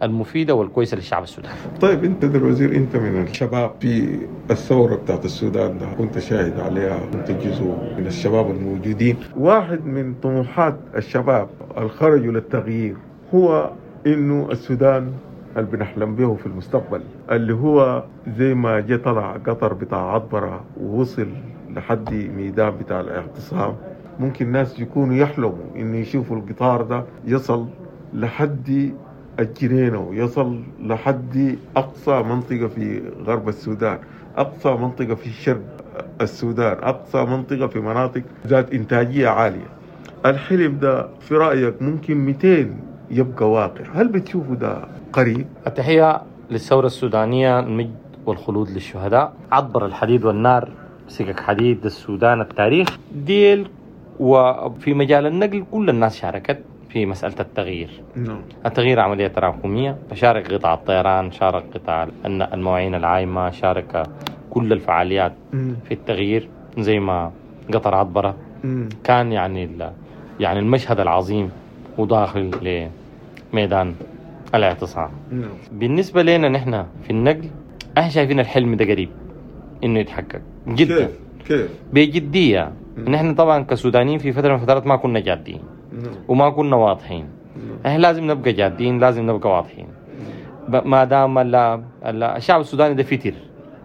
المفيدة والكويسة للشعب السوداني. طيب أنت الوزير، أنت من الشباب في الثورة بتاعت السودان ده، كنت شاهد عليها، كنت جزء من الشباب الموجودين. واحد من طموحات الشباب الخرجوا للتغيير هو إنه السودان اللي بنحلم به في المستقبل، اللي هو زي ما جه طلع قطر بتاع عطبرة ووصل لحد ميدان بتاع الاعتصام، ممكن ناس يكونوا يحلموا إنه يشوفوا القطار ده يصل لحد الجنينة ويصل لحد أقصى منطقة في غرب السودان، أقصى منطقة في شرق السودان، أقصى منطقة في مناطق ذات إنتاجية عالية. الحلم ده في رأيك ممكن مئتين يبقى واقع؟ هل بتشوفوا ده قريب؟ التحية للثورة السودانية، المجد والخلود للشهداء. عبر الحديد والنار، سكك حديد السودان التاريخ ديل. وفي مجال النقل كل الناس شاركت في مسألة التغيير. نعم. التغيير عملية تراكمية، فشارك قطاع الطيران، شارك قطاع المواعين العايمة، شارك كل الفعاليات م. في التغيير، زي ما قطر عطبرة م. كان يعني يعني المشهد العظيم وداخل لميدان الاعتصام. نعم. بالنسبة لنا نحن في النقل احنا شايفين الحلم ده قريب انه يتحقق جدا. كيف؟ كيف؟ بجدية. نحن طبعا كسودانيين في فترة من الفترات ما كنا جادين وما كنا واضحين. احنا لازم نبقى جادين، لازم نبقى واضحين. ما دام الشعب السوداني ده فتر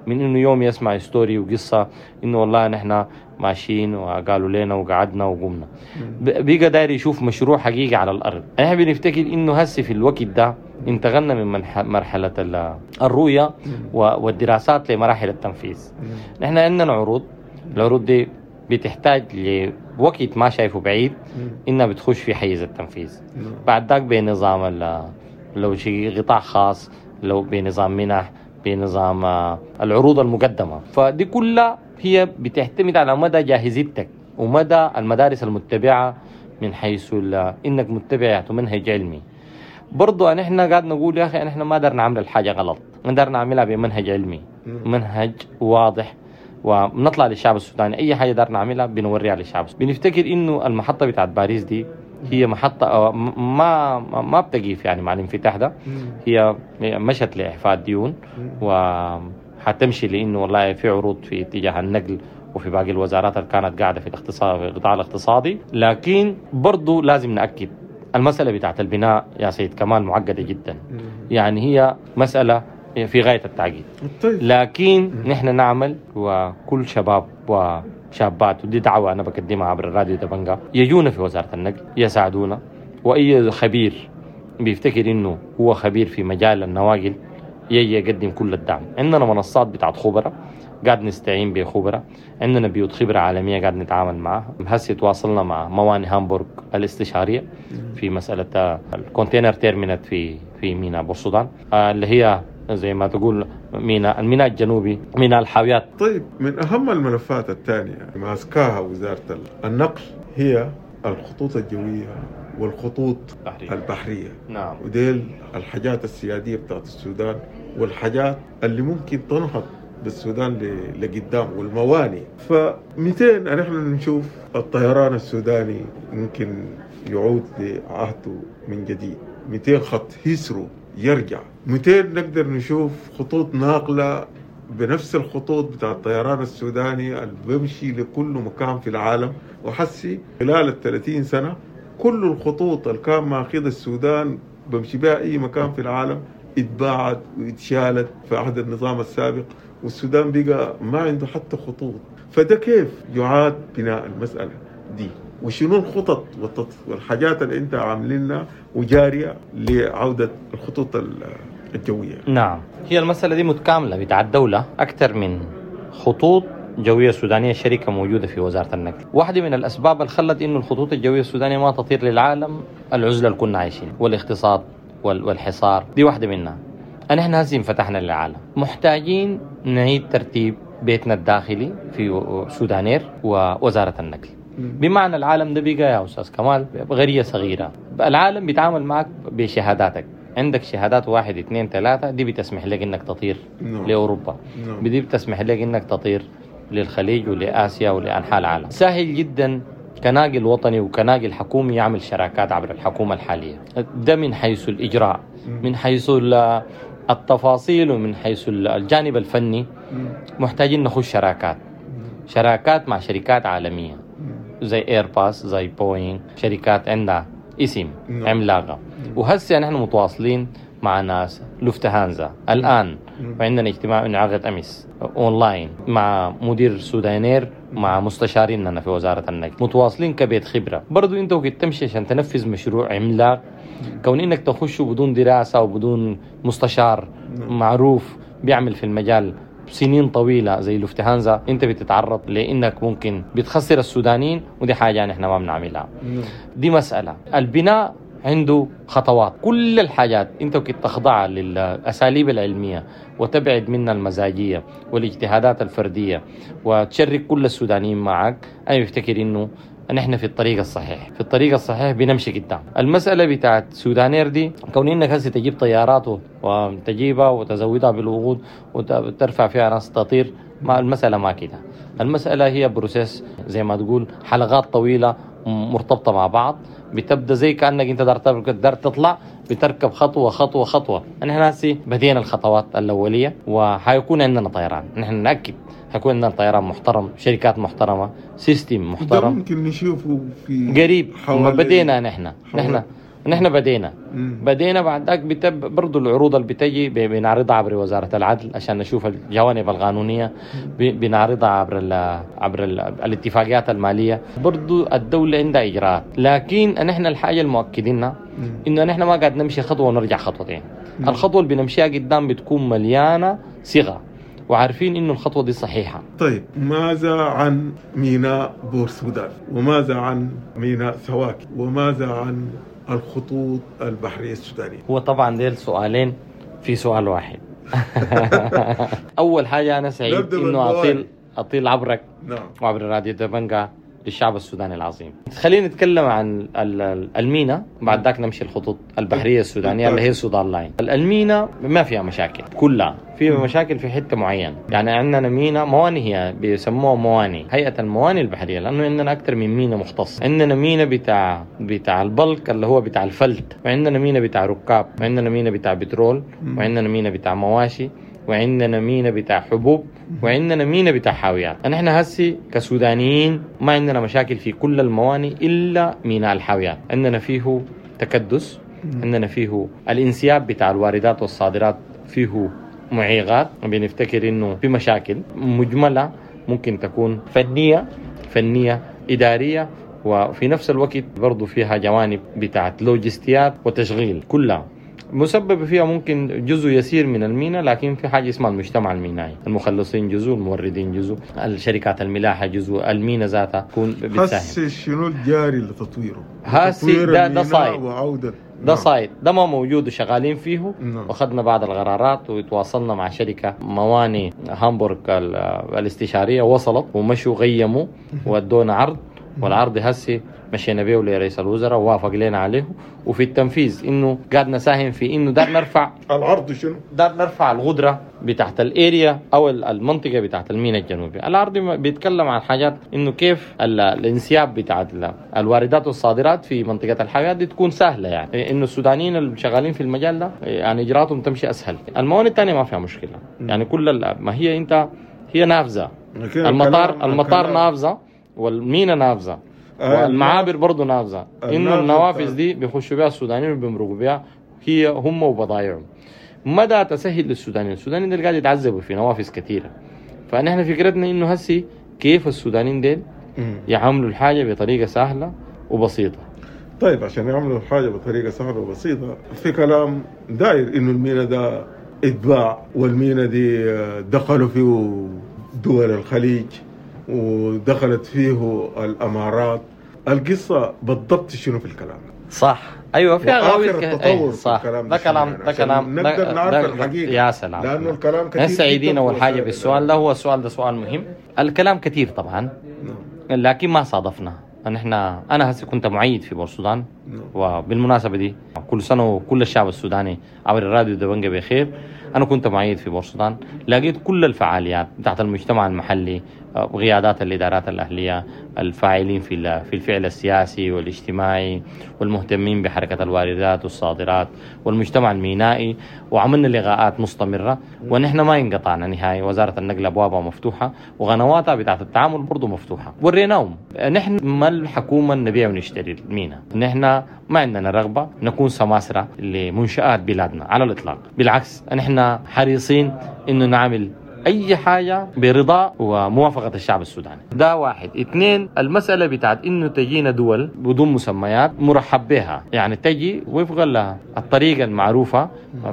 من انه يوم يسمع story وقصة انه والله نحن ماشيين وقالوا لنا وقعدنا وقمنا، بيقى داير يشوف مشروع حقيقي على الارض. احنا بنفتكر انه هسه في الوقت ده انتقلنا من مرحلة الرؤية والدراسات لمراحل التنفيذ. نحن عندنا عروض، العروض دي بتحتاج لوقت ما شايفه بعيد انها بتخش في حيز التنفيذ. بعد ذاك بنظام لو شيء قطاع خاص، لو بنظام منح، بنظام العروض المقدمة، فدي كلها هي بتعتمد على مدى جاهزيتك ومدى المدارس المتبعة من حيث انك متبع منهج علمي. برضو ان احنا قاعد نقول يا اخي احنا ما قدرنا نعمل الحاجة غلط، نقدر نعملها بمنهج علمي، منهج واضح، ونطلع للشعب السوداني اي حاجة دار نعملها بنوريها للشعب. بنفتكر انه المحطة بتاعت باريس دي هي محطة ما ما بتقيف يعني مع الانفتاح ده، هي مشت لاعفاء الديون وحتمشي لانه والله في عروض في اتجاه النقل وفي باقي الوزارات اللي كانت قاعدة في الاقتصاد في القطاع الاقتصادي. لكن برضو لازم ناكد المسالة بتاعت البناء يا سيد كمال معقدة جدا، يعني هي مسالة في غاية التعقيد. لكن نحن نعمل وكل شباب شابات، ودي دعوة أنا بقدمها عبر الراديو دبنجا، يجونا في وزارة النقل يساعدونا. وأي خبير بيفتكر إنه هو خبير في مجال النواقل يجي يقدم كل الدعم. عندنا منصات بتاعت خبراء قاعد نستعين بخبراء، عندنا بيوت خبرة عالمية قاعد نتعامل معها. هسه تواصلنا مع موانئ هامبورغ الاستشارية في مسألة ال container terminal في في ميناء بورسودان، اللي هي زي ما تقول ميناء الميناء الجنوبي، ميناء الحاويات. طيب، من أهم الملفات الثانية ماسكاها وزارة النقل هي الخطوط الجوية والخطوط البحرية, البحرية. نعم. وديل الحاجات السيادية بتاعت السودان والحاجات اللي ممكن تنهض بالسودان لقدام والموانئ. فمئتين نحن نشوف الطيران السوداني ممكن يعود لعهده من جديد، مئتين خط هيسرو يرجع، مئتين نقدر نشوف خطوط ناقلة بنفس الخطوط بتاع الطيران السوداني اللي بيمشي لكل مكان في العالم. وحسي خلال الثلاثين سنة كل الخطوط اللي كان ماخذ السودان بمشي بها أي مكان في العالم اتباعت واتشالت في عهد النظام السابق، والسودان بقى ما عنده حتى خطوط. فده كيف يعاد بناء المسألة دي؟ وشنو الخطط والحاجات اللي انت عاملينها وجارية لعودة الخطوط الجوية؟ نعم، هي المسألة دي متكاملة بتاع الدولة، أكثر من خطوط جوية سودانية شركة موجودة في وزارة النقل. واحدة من الأسباب اللي خلت إنه الخطوط الجوية السودانية ما تطير للعالم العزلة اللي كنا عايشين والاقتصاد والحصار، دي واحدة منها. نحن هسه انفتحنا للعالم، محتاجين نعيد ترتيب بيتنا الداخلي في سودانير ووزارة النقل. بمعنى العالم ده بقى يا أستاذ كمال غرية صغيرة، العالم بيتعامل معك بشهاداتك، عندك شهادات واحد اثنين ثلاثة دي بتسمح لك إنك تطير no. لأوروبا، no. دي بتسمح لك إنك تطير للخليج ولآسيا ولأنحاء العالم. سهل جدا كناقل وطني وكناقل حكومي يعمل شراكات عبر الحكومة الحالية، ده من حيث الإجراء، من حيث التفاصيل، ومن حيث الجانب الفني. محتاجين نخش شراكات، شراكات مع شركات عالمية زي ايرباص، زي بوينغ، شركات عندها اسم عملاقة. وهسه نحن متواصلين مع ناس لوفتهانزا الآن، وعندنا اجتماع انعقد أمس أونلاين مع مدير سودانير، مع مستشاريننا في وزارة النقل، متواصلين كبيت خبرة. برضو انت وقت تمشي عشان تنفذ مشروع عملاق، كون انك تخش بدون دراسة وبدون مستشار معروف بيعمل في المجال سنين طويلة زي لوفتهانزا، انت بتتعرض لانك ممكن بتخسر السودانيين، ودي حاجة نحن ما بنعملها. دي مسألة البناء عنده خطوات، كل الحاجات انت وكنت تخضعها للأساليب العلمية وتبعد منها المزاجية والاجتهادات الفردية وتشرك كل السودانيين معك. انا بفتكر انه نحن في الطريق الصحيح، في الطريق الصحيح بنمشي قدام. المسألة بتاعت سودانير دي كون انك هسه تجيب طيارات وتجيبها وتزودها بالوقود وترفع فيها ناس تطير، ما المسألة ما كده. المسألة هي process زي ما تقول، حلقات طويلة مرتبطة مع بعض، بتبدأ زي كأنك انت دار تطلع، بتركب خطوة خطوة خطوة. نحن هسه بدينا الخطوات الأولية، وحيكون عندنا طيران، نحن نأكد حيكون عندنا طيران محترم، شركات محترمة، system محترم. ده ممكن نشوفه في قريب. بدينا نحن نحن نحن بدينا مم. بدينا بعد ذاك بتب برضو العروض اللي بتجي بنعرضها عبر وزارة العدل عشان نشوف الجوانب القانونية، بنعرضها عبر ال عبر ال الاتفاقيات المالية. برضو الدولة عندها إجراءات، لكن نحن الحاجة المؤكدينها إنه نحن ما قاعد نمشي خطوة ونرجع خطوتين. مم. الخطوة اللي بنمشيها قدام بتكون مليانة صيغة، وعارفين إنه الخطوة دي صحيحة. طيب، ماذا عن ميناء بورسودان؟ وماذا عن ميناء سواكي؟ وماذا عن الخطوط البحرية السودانية؟ هو طبعا ديل سؤالين في سؤال واحد. أول حاجة أنا سعيد إنه أطيل أطيل عبرك، نعم، وعبر راديو دبنجا للشعب السوداني العظيم. خلينا نتكلم عن المينا، بعد ذاك نمشي الخطوط البحرية السودانية اللي هي سودان لاين. المينا ما فيها مشاكل كلها، فيها مشاكل في حتة معينة. يعني عندنا مينا مواني، هي بيسموها مواني، هيئة المواني البحرية، لأنه عندنا أكثر من مينا مختص. عندنا مينا بتاع بتاع ال bulk اللي هو بتاع الفلت، وعندنا مينا بتاع ركاب، وعندنا مينا بتاع بترول، وعندنا مينا بتاع مواشي، وعندنا مينا بتاع حبوب، وعندنا مينا بتاع حاويات. نحن هسي كسودانيين ما عندنا مشاكل في كل المواني إلا ميناء الحاويات، عندنا فيه تكدس، عندنا فيه الانسياب بتاع الواردات والصادرات فيه معيقات، بنفتكر إنه في مشاكل مجملة. ممكن تكون فنية فنية إدارية، وفي نفس الوقت برضو فيها جوانب بتاعت لوجستيات وتشغيل، كلها مسبب فيها ممكن جزء يسير من المينا، لكن في حاجة اسمها المجتمع المينائي، المخلصين جزء، الموردين جزء، الشركات الملاحة جزء، المينا ذاتها تكون بتساهم. هسه شنو الجاري لتطويره؟ هسه ده ده side وعودة ده side ده ما موجود وشغالين فيه. نعم. واخذنا بعض القرارات وتواصلنا مع شركة مواني هامبورغ الاستشارية، وصلت ومشوا غيموا وادونا عرض، والعرض هسي مشينا بيه لرئيس الوزراء ووافق لنا عليه، وفي التنفيذ انه قاعد نساهم في انه دار نرفع العرض شنو؟ دار نرفع القدرة بتاعت ال area او المنطقة بتاعت الميناء الجنوبي. العرض بيتكلم عن حاجات انه كيف الانسياب بتاعت الواردات والصادرات في منطقة الحاويات دي تكون سهلة، يعني انه السودانيين اللي شغالين في المجال ده يعني اجراءاتهم تمشي اسهل. الموانئ الثانية ما فيها مشكلة، يعني كل ما هي انت هي نافذة، المطار المطار نافذة والمينا نافذة والمعابر برضو نافذة، إنه النوافذ دي بيخشوا بها السودانيين وبيمرقوا بها هي هم وبضايعهم. مدى تسهل للسودانيين، السودانيين دول قاعد يتعذبوا في نوافذ كثيرة، فنحن فكرتنا إنه هسي كيف السودانيين دول يعملوا الحاجة بطريقة سهلة وبسيطة. طيب عشان يعملوا الحاجة بطريقة سهلة وبسيطة، في كلام داير إنه المينا ده اتباع، والمينا دي دخلوا فيه دول الخليج ودخلت فيه الامارات. القصة بالضبط شنو في الكلام؟ صح، ايوه فيها غاوي التطور. صح، في ده كلام ده كلام نقدر نعرف الحقيقة. يا سلام، لانه الكلام كثير. سعيدين اول حاجة بالسؤال ده، هو السؤال ده سؤال مهم. الكلام كثير طبعا، لكن ما صادفنا. نحن انا هسه كنت معيد في بورسودان، وبالمناسبة دي كل سنة وكل الشعب السوداني عبر الراديو دبنجة بخير. انا كنت معيد في بورسودان، لقيت كل الفعاليات بتاعت المجتمع المحلي، قيادات الادارات الاهلية، الفاعلين في في الفعل السياسي والاجتماعي، والمهتمين بحركة الواردات والصادرات، والمجتمع المينائي، وعملنا لقاءات مستمرة ونحن ما انقطعنا نهائي. وزارة النقل ابوابها مفتوحة وقنواتها بتاعت التعامل برضو مفتوحة، وريناهم نحن ما الحكومة نبيع ونشتري المينا، نحن ما عندنا رغبة نكون سماسره لمنشآت بلادنا على الاطلاق. بالعكس نحن حريصين انه نعمل اي حاجة برضا وموافقه الشعب السوداني. ده واحد. اثنين، المسالة بتاعت انه تجينا دول بدون مسميات مرحب بها، يعني تجي وفق الطريقة المعروفة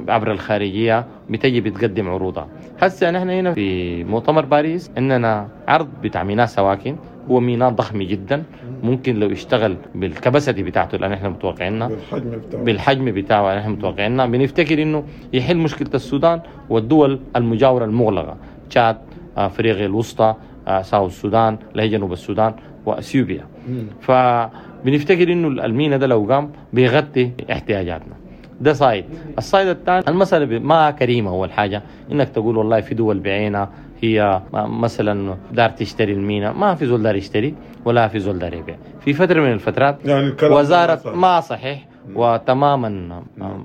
عبر الخارجية، بتجي بتقدم عروضها. هسه نحن هنا في مؤتمر باريس عندنا عرض بتاع ميناء سواكن، هو ميناء ضخم جدا، ممكن لو اشتغل بالكباسيتي بتاعته اللي احنا متوقعينها، بالحجم بتاعه بالحجم بتاعه اللي احنا متوقعينها، بنفتكر انه يحل مشكلة السودان والدول المجاورة المغلقة، تشاد، افريقيا الوسطى، ساوث السودان، اللي هي جنوب السودان، واثيوبيا. فبنفتكر انه الميناء ده لو قام بيغطي احتياجاتنا. ده side. ال side الثاني، المسألة ما كريمة. أول حاجة إنك تقول والله في دول بعينها هي مثلا دار تشتري المينا، ما في زول دار يشتري ولا في زول دار يبيع. في فترة من الفترات يعني وزارة ما صحيح وتماما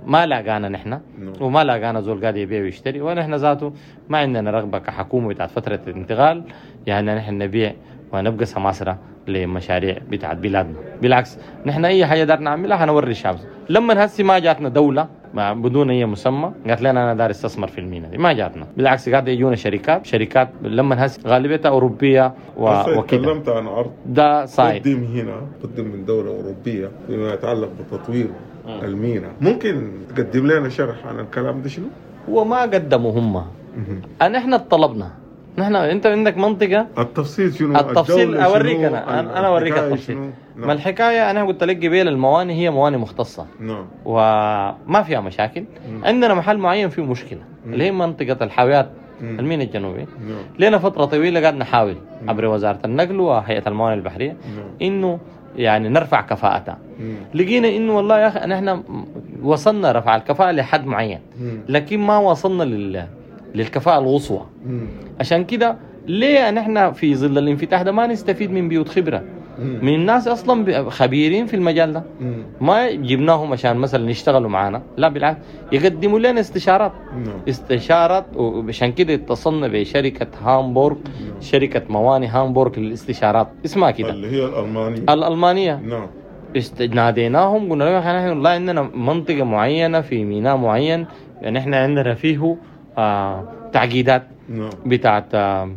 ما لاقانا نحن، وما لاقانا زول قاعد يبيع ويشتري، ونحن ذاته ما عندنا رغبة كحكومة بتاعت فترة الانتقال يعني نحن نبيع ونبقى سماسرة لمشاريع بتاعت بلادنا. بالعكس نحن اي حاجة دار نعملها حنوري الشعب. لما هسي ما جاتنا دولة بدون اي مسمى قالت لنا انا دار استثمر في المينا دي، ما جاتنا. بالعكس قاعد يجونا شركات شركات لما هسي غالبيتها اوروبية و... وكده. تكلمت عن عرض ده side قدم هنا، قدم من دولة اوروبية فيما يتعلق بتطوير المينا. ممكن تقدم لنا شرح عن الكلام ده شنو؟ هو ما قدموا هم، انا احنا طلبنا. نحن انت عندك منطقة التفصيل شنو؟ التفصيل اوريك انا انا اوريك التفصيل. نعم. ما الحكاية انا قلت لك قبيل الموانئ هي موانئ مختصة. نعم. وما فيها مشاكل. مم. عندنا محل معين فيه مشكلة. مم. اللي هي منطقة الحاويات الميناء الجنوبي. نعم. لنا فترة طويلة قاعد نحاول عبر وزارة النقل وهيئة الموانئ البحرية. نعم. انه يعني نرفع كفاءتها. مم. لقينا انه والله يا اخي نحن وصلنا رفع الكفاءة لحد معين. مم. لكن ما وصلنا لل للكفاءة القصوى. عشان كده ليه نحن في ظل الانفتاح ده ما نستفيد من بيوت خبرة. مم. من الناس أصلا خبيرين في المجال ده. مم. ما جبناهم عشان مثلا يشتغلوا معنا، لا بالعكس يقدموا لنا استشارات. مم. استشارات. وعشان كده اتصلنا بشركة هامبورغ. مم. شركة موانئ هامبورغ للاستشارات اسمها كده، اللي هي الألمانية. الألمانية. نعم. ناديناهم قلنا لهم احنا والله عندنا منطقة معينة في ميناء معين، يعني احنا عندنا فيه آه تعقيدات. نعم. بتاعت آه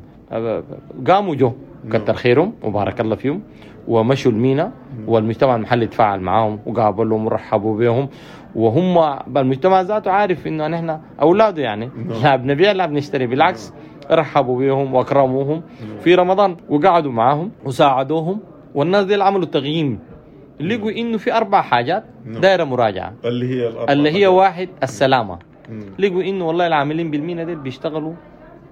قاموا جو كتر خيرهم وبارك الله فيهم ومشوا المينا، والمجتمع المحلي تفاعل معاهم وقابلهم ورحبوا بهم، وهم المجتمع ذاته عارف انه نحن اولاده يعني لا بنبيع لا بنشتري، بالعكس رحبوا بهم واكرموهم في رمضان وقعدوا معاهم وساعدوهم. والناس دي عملوا تقييم، لقوا انه في اربع حاجات دايرة مراجعه، اللي هي الأربع اللي هي واحد السلامة. لقوا انه والله العاملين بالمينا دي بيشتغلوا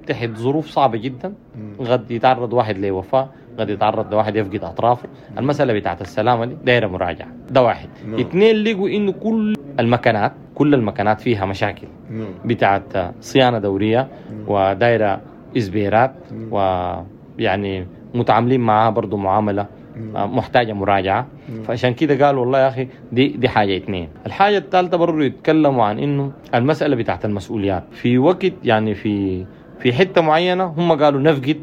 تحت ظروف صعبة جدا، قد يتعرض واحد لوفاه، قد يتعرض لواحد يفقد اطرافه. المسالة بتاعت السلامة دي دايرة مراجعه، ده واحد. نعم. اثنين لقوا انه كل المكانات كل المكانات فيها مشاكل نعم. بتاعت صيانة دورية ودايره اسبيرات، ويعني متعاملين معها برضو معاملة محتاجه مراجعه. فعشان كده قالوا والله يا اخي دي دي حاجة اثنين. الحاجة الثالثة برضو يتكلموا عن انه المسالة بتاعت المسؤوليات في وقت، يعني في في حتة معينة هم قالوا نفقد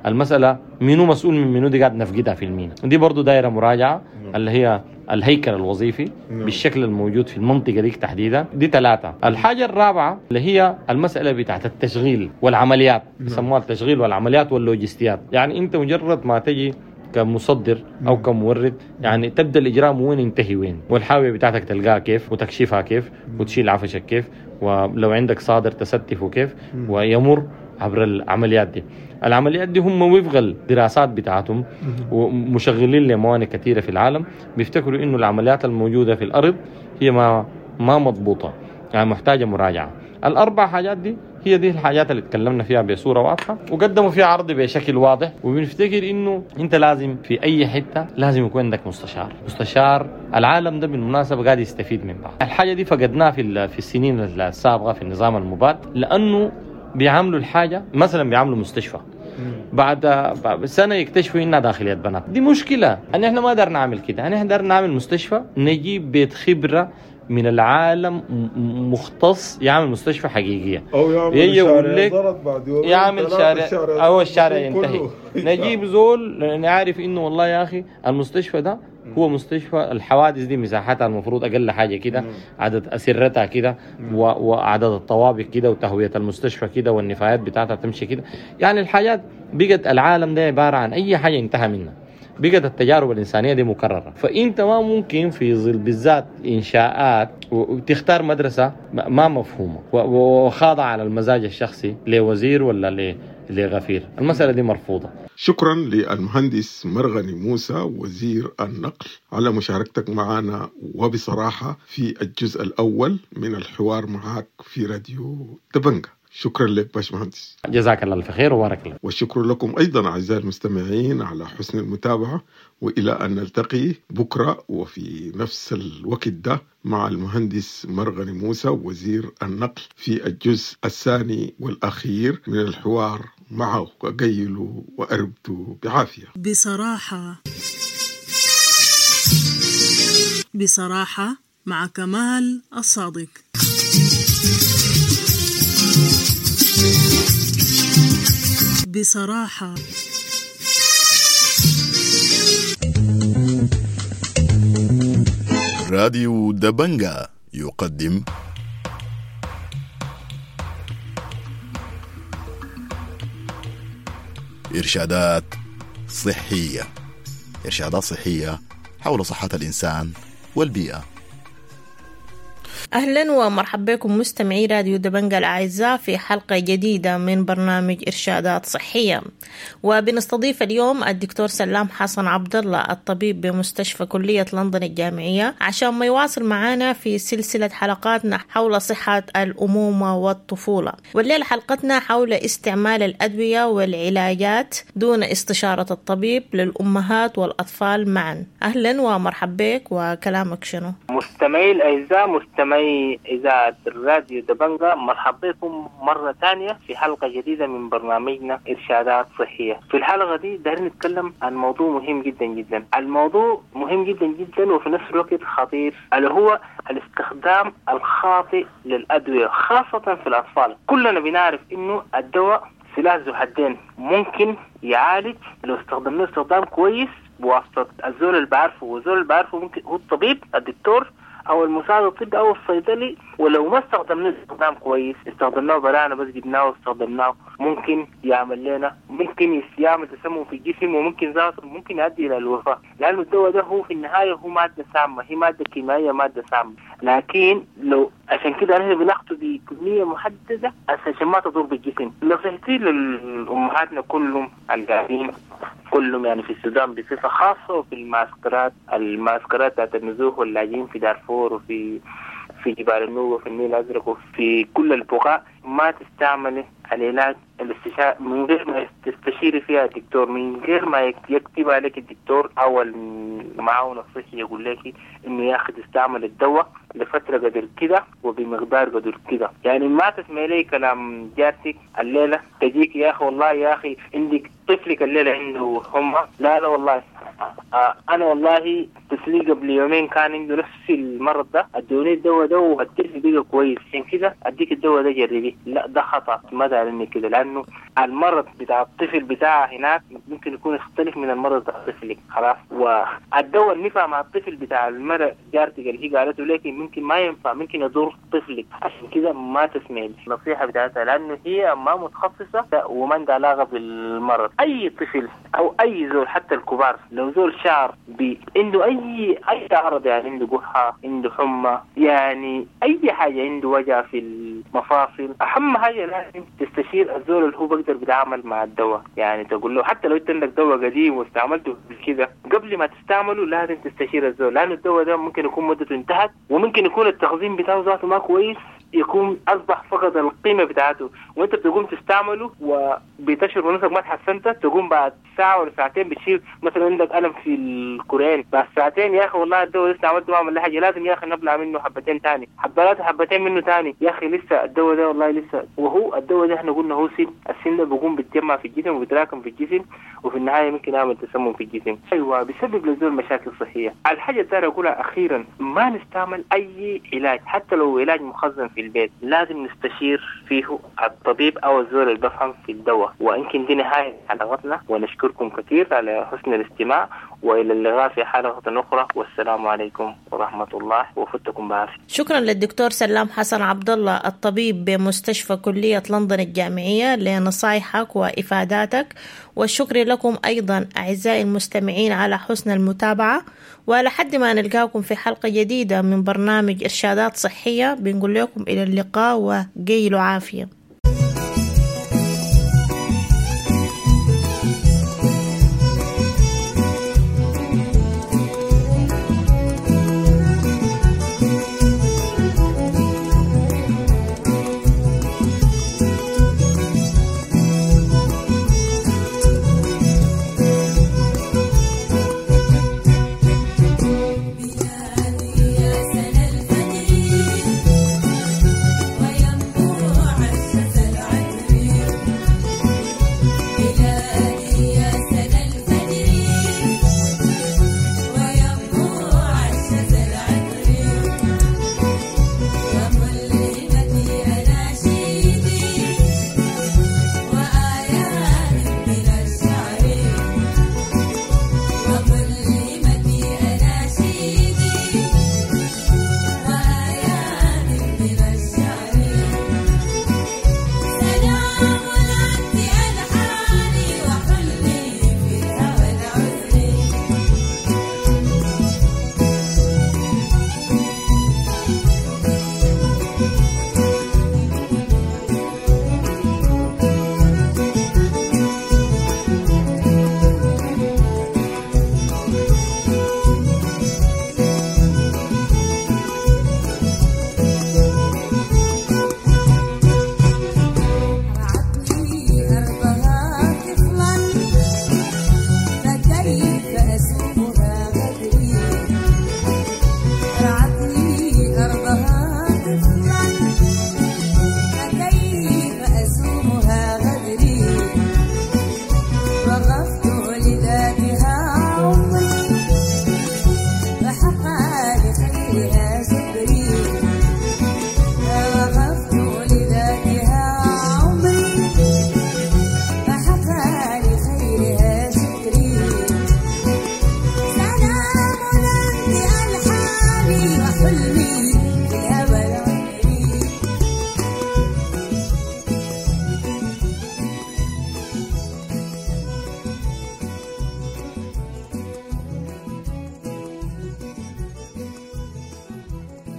المسالة منو مسؤول من منو، دي قاعد نفقدها في المينا، دي برضو دايرة مراجعه اللي هي الهيكل الوظيفي بالشكل الموجود في المنطقة دي تحديدا. دي ثلاثة. الحاجة الرابعة اللي هي المسالة بتاعت التشغيل والعمليات، يسموها التشغيل والعمليات واللوجستيات. يعني انت مجرد ما تجي كمصدر او كمورد يعني تبدا الاجرام وين ينتهي وين، والحاويه بتاعتك تلقاها كيف وتكشفها كيف وتشيل عفشك كيف، ولو عندك صادر تستفه كيف، ويمر عبر العمليات دي. العمليات دي هم وفق الدراسات بتاعتهم ومشغلين لموانئ كثيرة في العالم بيفتكروا انه العمليات الموجودة في الارض هي ما ما مضبوطة، يعني محتاجه مراجعه. الاربع حاجات دي هي دي الحاجات اللي تكلمنا فيها بصورة واضحة وقدموا فيها عرض بشكل واضح. وبنفتكر انه انت لازم في اي حتة لازم يكون عندك مستشار. مستشار العالم ده بالمناسبة قاعد يستفيد من بعض. الحاجة دي فقدناها في في السنين السابقة في النظام المباد، لانه بيعاملوا الحاجة مثلا بيعاملوا مستشفى بعد سنة يكتشفوا انها داخلية بنات. دي مشكلة ان احنا ما قدرنا نعمل كده. احنا قدرنا نعمل مستشفى نجيب بيت خبره من العالم مختص يعمل مستشفى حقيقية، او يعمل شارع ضرب بعد يومين يعمل شارع او الشارع ينتهي. نجيب زول نعرف انه والله يا اخي المستشفى ده هو مستشفى الحوادث دي مساحتها المفروض اقل حاجة كده، عدد اسرتها كده، وعدد الطوابق كده، وتهويه المستشفى كده، والنفايات بتاعتها تمشي كده. يعني الحاجات بقت العالم ده عبارة عن اي حاجة انتهى منها، بقت التجارب الإنسانية دي مكررة. فأنت ما ممكن في ظل بالذات إنشاءات وتختار مدرسة ما مفهومة وخاضعة على المزاج الشخصي لوزير ولا لغفير. المسألة دي مرفوضة. شكرا للمهندس مرغني موسى وزير النقل على مشاركتك معنا وبصراحة في الجزء الأول من الحوار معك في راديو دبنجة. شكرا لك باشمهندس، جزاك الله الف خير وبارك الله. والشكر لكم أيضا أعزائي المستمعين على حسن المتابعة، وإلى أن نلتقي بكرة وفي نفس الوقت ده مع المهندس مرغني موسى وزير النقل في الجزء الثاني والأخير من الحوار معه. قيلوا وأربتوا بعافية. بصراحة بصراحة مع كمال الصادق. بصراحة راديو دبنجا يقدم إرشادات صحية. إرشادات صحية حول صحة الإنسان والبيئة. أهلا ومرحبا بكم مستمعي راديو دبنجا الأعزاء في حلقة جديدة من برنامج إرشادات صحية، وبنستضيف اليوم الدكتور سلام حسن عبد الله الطبيب بمستشفى كلية لندن الجامعية عشان ما يواصل معنا في سلسلة حلقاتنا حول صحة الأمومة والطفولة. والليلة حلقتنا حول استعمال الأدوية والعلاجات دون استشارة الطبيب للأمهات والأطفال معا. أهلا ومرحبا بك، وكلامك شنو؟ مستمعي الأعزاء، مستمعي إذاعة الراديو دبنجا، مرحبا بكم مرة تانية في حلقة جديدة من برنامجنا إرشادات صحية. في الحلقة دي دايرين نتكلم عن موضوع مهم جدا جدا. الموضوع مهم جدا جدا وفي نفس الوقت خطير، اللي هو الاستخدام الخاطئ للأدوية خاصة في الأطفال. كلنا بنعرف إنه الدواء سلاح ذو حدين، ممكن يعالج لو استخدمناه استخدام كويس بواسطة الزول اللي بعرفه، والزول اللي بعرفه ممكن هو الطبيب الدكتور او المساعد الطبي او الصيدلي. ولو ما استخدمناه استخدام كويس، استخدمناه برانا بس جبناه واستخدمناه، ممكن يعمل لنا ممكن يعمل تسمم في الجسم، وممكن ذاته ممكن يؤدي الى الوفاه، لانه الدواء ده هو في النهايه هو ماده سامه، هي ماده كيميائيه ماده سامه. لكن لو عشان كده نحن بناخده بكميه محدده عشان ما تضر بالجسم. نصيحتي للامهاتنا كلهم القاعدين كلهم يعني في السودان بصفه خاصه، وفي المعسكرات المعسكرات بتاعت النزوح واللاجئين في دارفور وفي في جبال النوبة وفي النيل الأزرق وفي كل البقاع، ما تستعملي العلاج الاستشارة من غير ما تستشيري فيها الدكتور، من غير ما يكتب عليك الدكتور أو المعاون الصحي يقول لك إنه يا أخي تستعمل الدواء لفترة قدر كده وبمقدار قدر كده. يعني ما تسمعي لي كلام جارتك الليلة تجيك يا أخي والله يا أخي عندك طفلك الليلة عنده حمى، لا لا والله آه أنا والله طفلي قبل يومين كان عنده نفس المرض ده، ادوني الدواء ده والطفل بقى كويس، عشان كده أديك الدواء ده جربيه. لا ده خطأ، ما دارني كده، لأنه المرض بتاع الطفل بتاعه هناك ممكن يكون يختلف من المرض بتاع طفلك خلاص. والدواء اللي نفع مع الطفل بتاع المرأة جارتك اللي هي قالته لك ممكن ما ينفع، ممكن يضر طفلك. عشان كده ما تسمعي النصيحة بتاعتها، لأنه هي ما متخصصة وما عندها علاقة بالمرض. أي طفل أو أي زول حتى الكبار لو زول شعر عنده أي أي عرض، يعني عنده قحة، عنده حمى، يعني أي حاجة، عنده وجع في المفاصل، أهم حاجة لازم تستشير الزول اللي هو بقدر بيتعامل مع الدواء. يعني تقول له حتى لو انت عندك دواء قديم واستعملته كده، قبل ما تستعمله لازم تستشير الزول، لأنه الدواء ده ممكن يكون مدته انتهت، وممكن يكون التخزين بتاعه ذاته ما كويس، يكون أصبح فقد القيمة بتاعته، وانت بتقوم تستعمله وبتشعر بنفسك ما تحسنت، تقوم بعد ساعة ولا ساعتين بتشيل مثلا عندك ألم في الكورين، بعد ساعتين يا أخي والله الدواء لسه عملته ما عمل لي حاجة، لازم يا أخي نبلع منه حبتين تاني، حبات حبتين منه تاني، يا أخي لسه الدواء ده والله لسه. وهو الدواء ده احنا قلنا هو سم، السم ده بيقوم بيتجمع في الجسم وبيتراكم في الجسم، وفي النهاية ممكن يعمل تسمم في الجسم. أيوة بيسبب للزول مشاكل صحية. الحاجة الثانية أقولها أخيرا، ما نستعمل أي علاج حتى لو علاج مخزن في البيت، لازم نستشير فيه الطبيب أو الزول اللي بفهم في الدواء. ويمكن دي نهاية حلقتنا، ونشكركم كثير على حسن الاستماع، وإلى اللقاء في حلقة أخرى، والسلام عليكم ورحمة الله وفتكم بعافية. شكرا للدكتور سلام حسن عبد الله الطبيب بمستشفى كلية لندن الجامعية لنصايحك وإفاداتك، والشكر لكم أيضا أعزائي المستمعين على حسن المتابعة. ولحد ما نلقاكم في حلقة جديدة من برنامج إرشادات صحية، بنقول لكم إلى اللقاء وقيلوا عافية. يا سنة الفجر وينبوع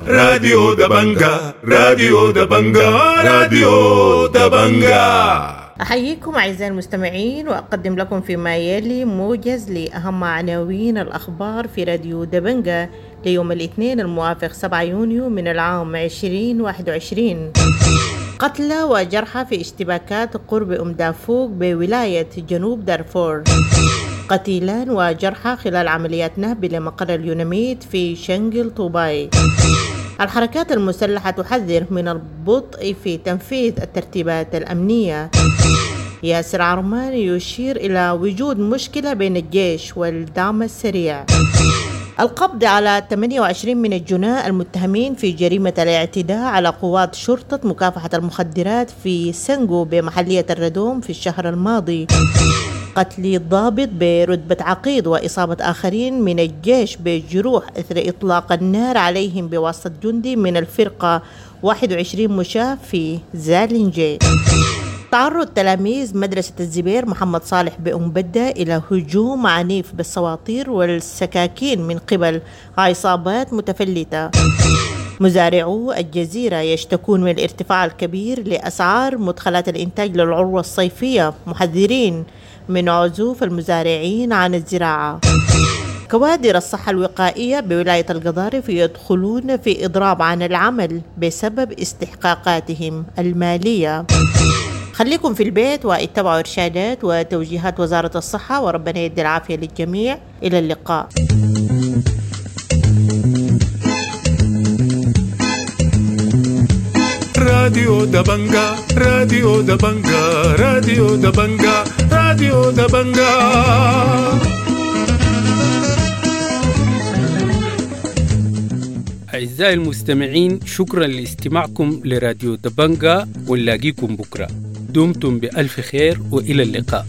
راديو دبنجا، راديو دبنجا، راديو دبنجا. أحييكم أعزائي المستمعين، وأقدم لكم فيما يلي موجز لأهم عناوين الأخبار في راديو دبنجا ليوم الاثنين الموافق سبعة يونيو من العام عشرين واحد وعشرين. قتلى وجرحى في اشتباكات قرب أم دافوق بولاية جنوب دارفور. قتيلان وجرحى خلال عمليات نهب لمقر اليوناميد في شنغل طوباي. الحركات المسلحة تحذر من البطء في تنفيذ الترتيبات الأمنية. ياسر عرمان يشير إلى وجود مشكلة بين الجيش والدعم السريع. القبض على ثمانية وعشرين من الجناة المتهمين في جريمة الاعتداء على قوات شرطة مكافحة المخدرات في سنغو بمحلية الردوم في الشهر الماضي. قتل الضابط برتبة عقيد وإصابة آخرين من الجيش بجروح إثر إطلاق النار عليهم بواسطة جندي من الفرقة واحد وعشرين مشاة في زالنجي. تعرض تلاميذ مدرسة الزبير محمد صالح بأم بدة إلى هجوم عنيف بالسواطير والسكاكين من قبل عصابات متفلتة. مزارعو الجزيرة يشتكون من الارتفاع الكبير لأسعار مدخلات الإنتاج للعروة الصيفية، محذرين من عزوف المزارعين عن الزراعة. كوادر الصحة الوقائية بولاية القضارف يدخلون في إضراب عن العمل بسبب استحقاقاتهم المالية. خليكم في البيت واتبعوا إرشادات وتوجيهات وزارة الصحة، وربنا يدي العافية للجميع. إلى اللقاء. راديو دبنجا، راديو دبنجا، راديو دبنجا، راديو دبنجا. أعزائي المستمعين، شكرا لاستماعكم لراديو دبنجا، ونلاقيكم بكرة. دمتم بألف خير وإلى اللقاء.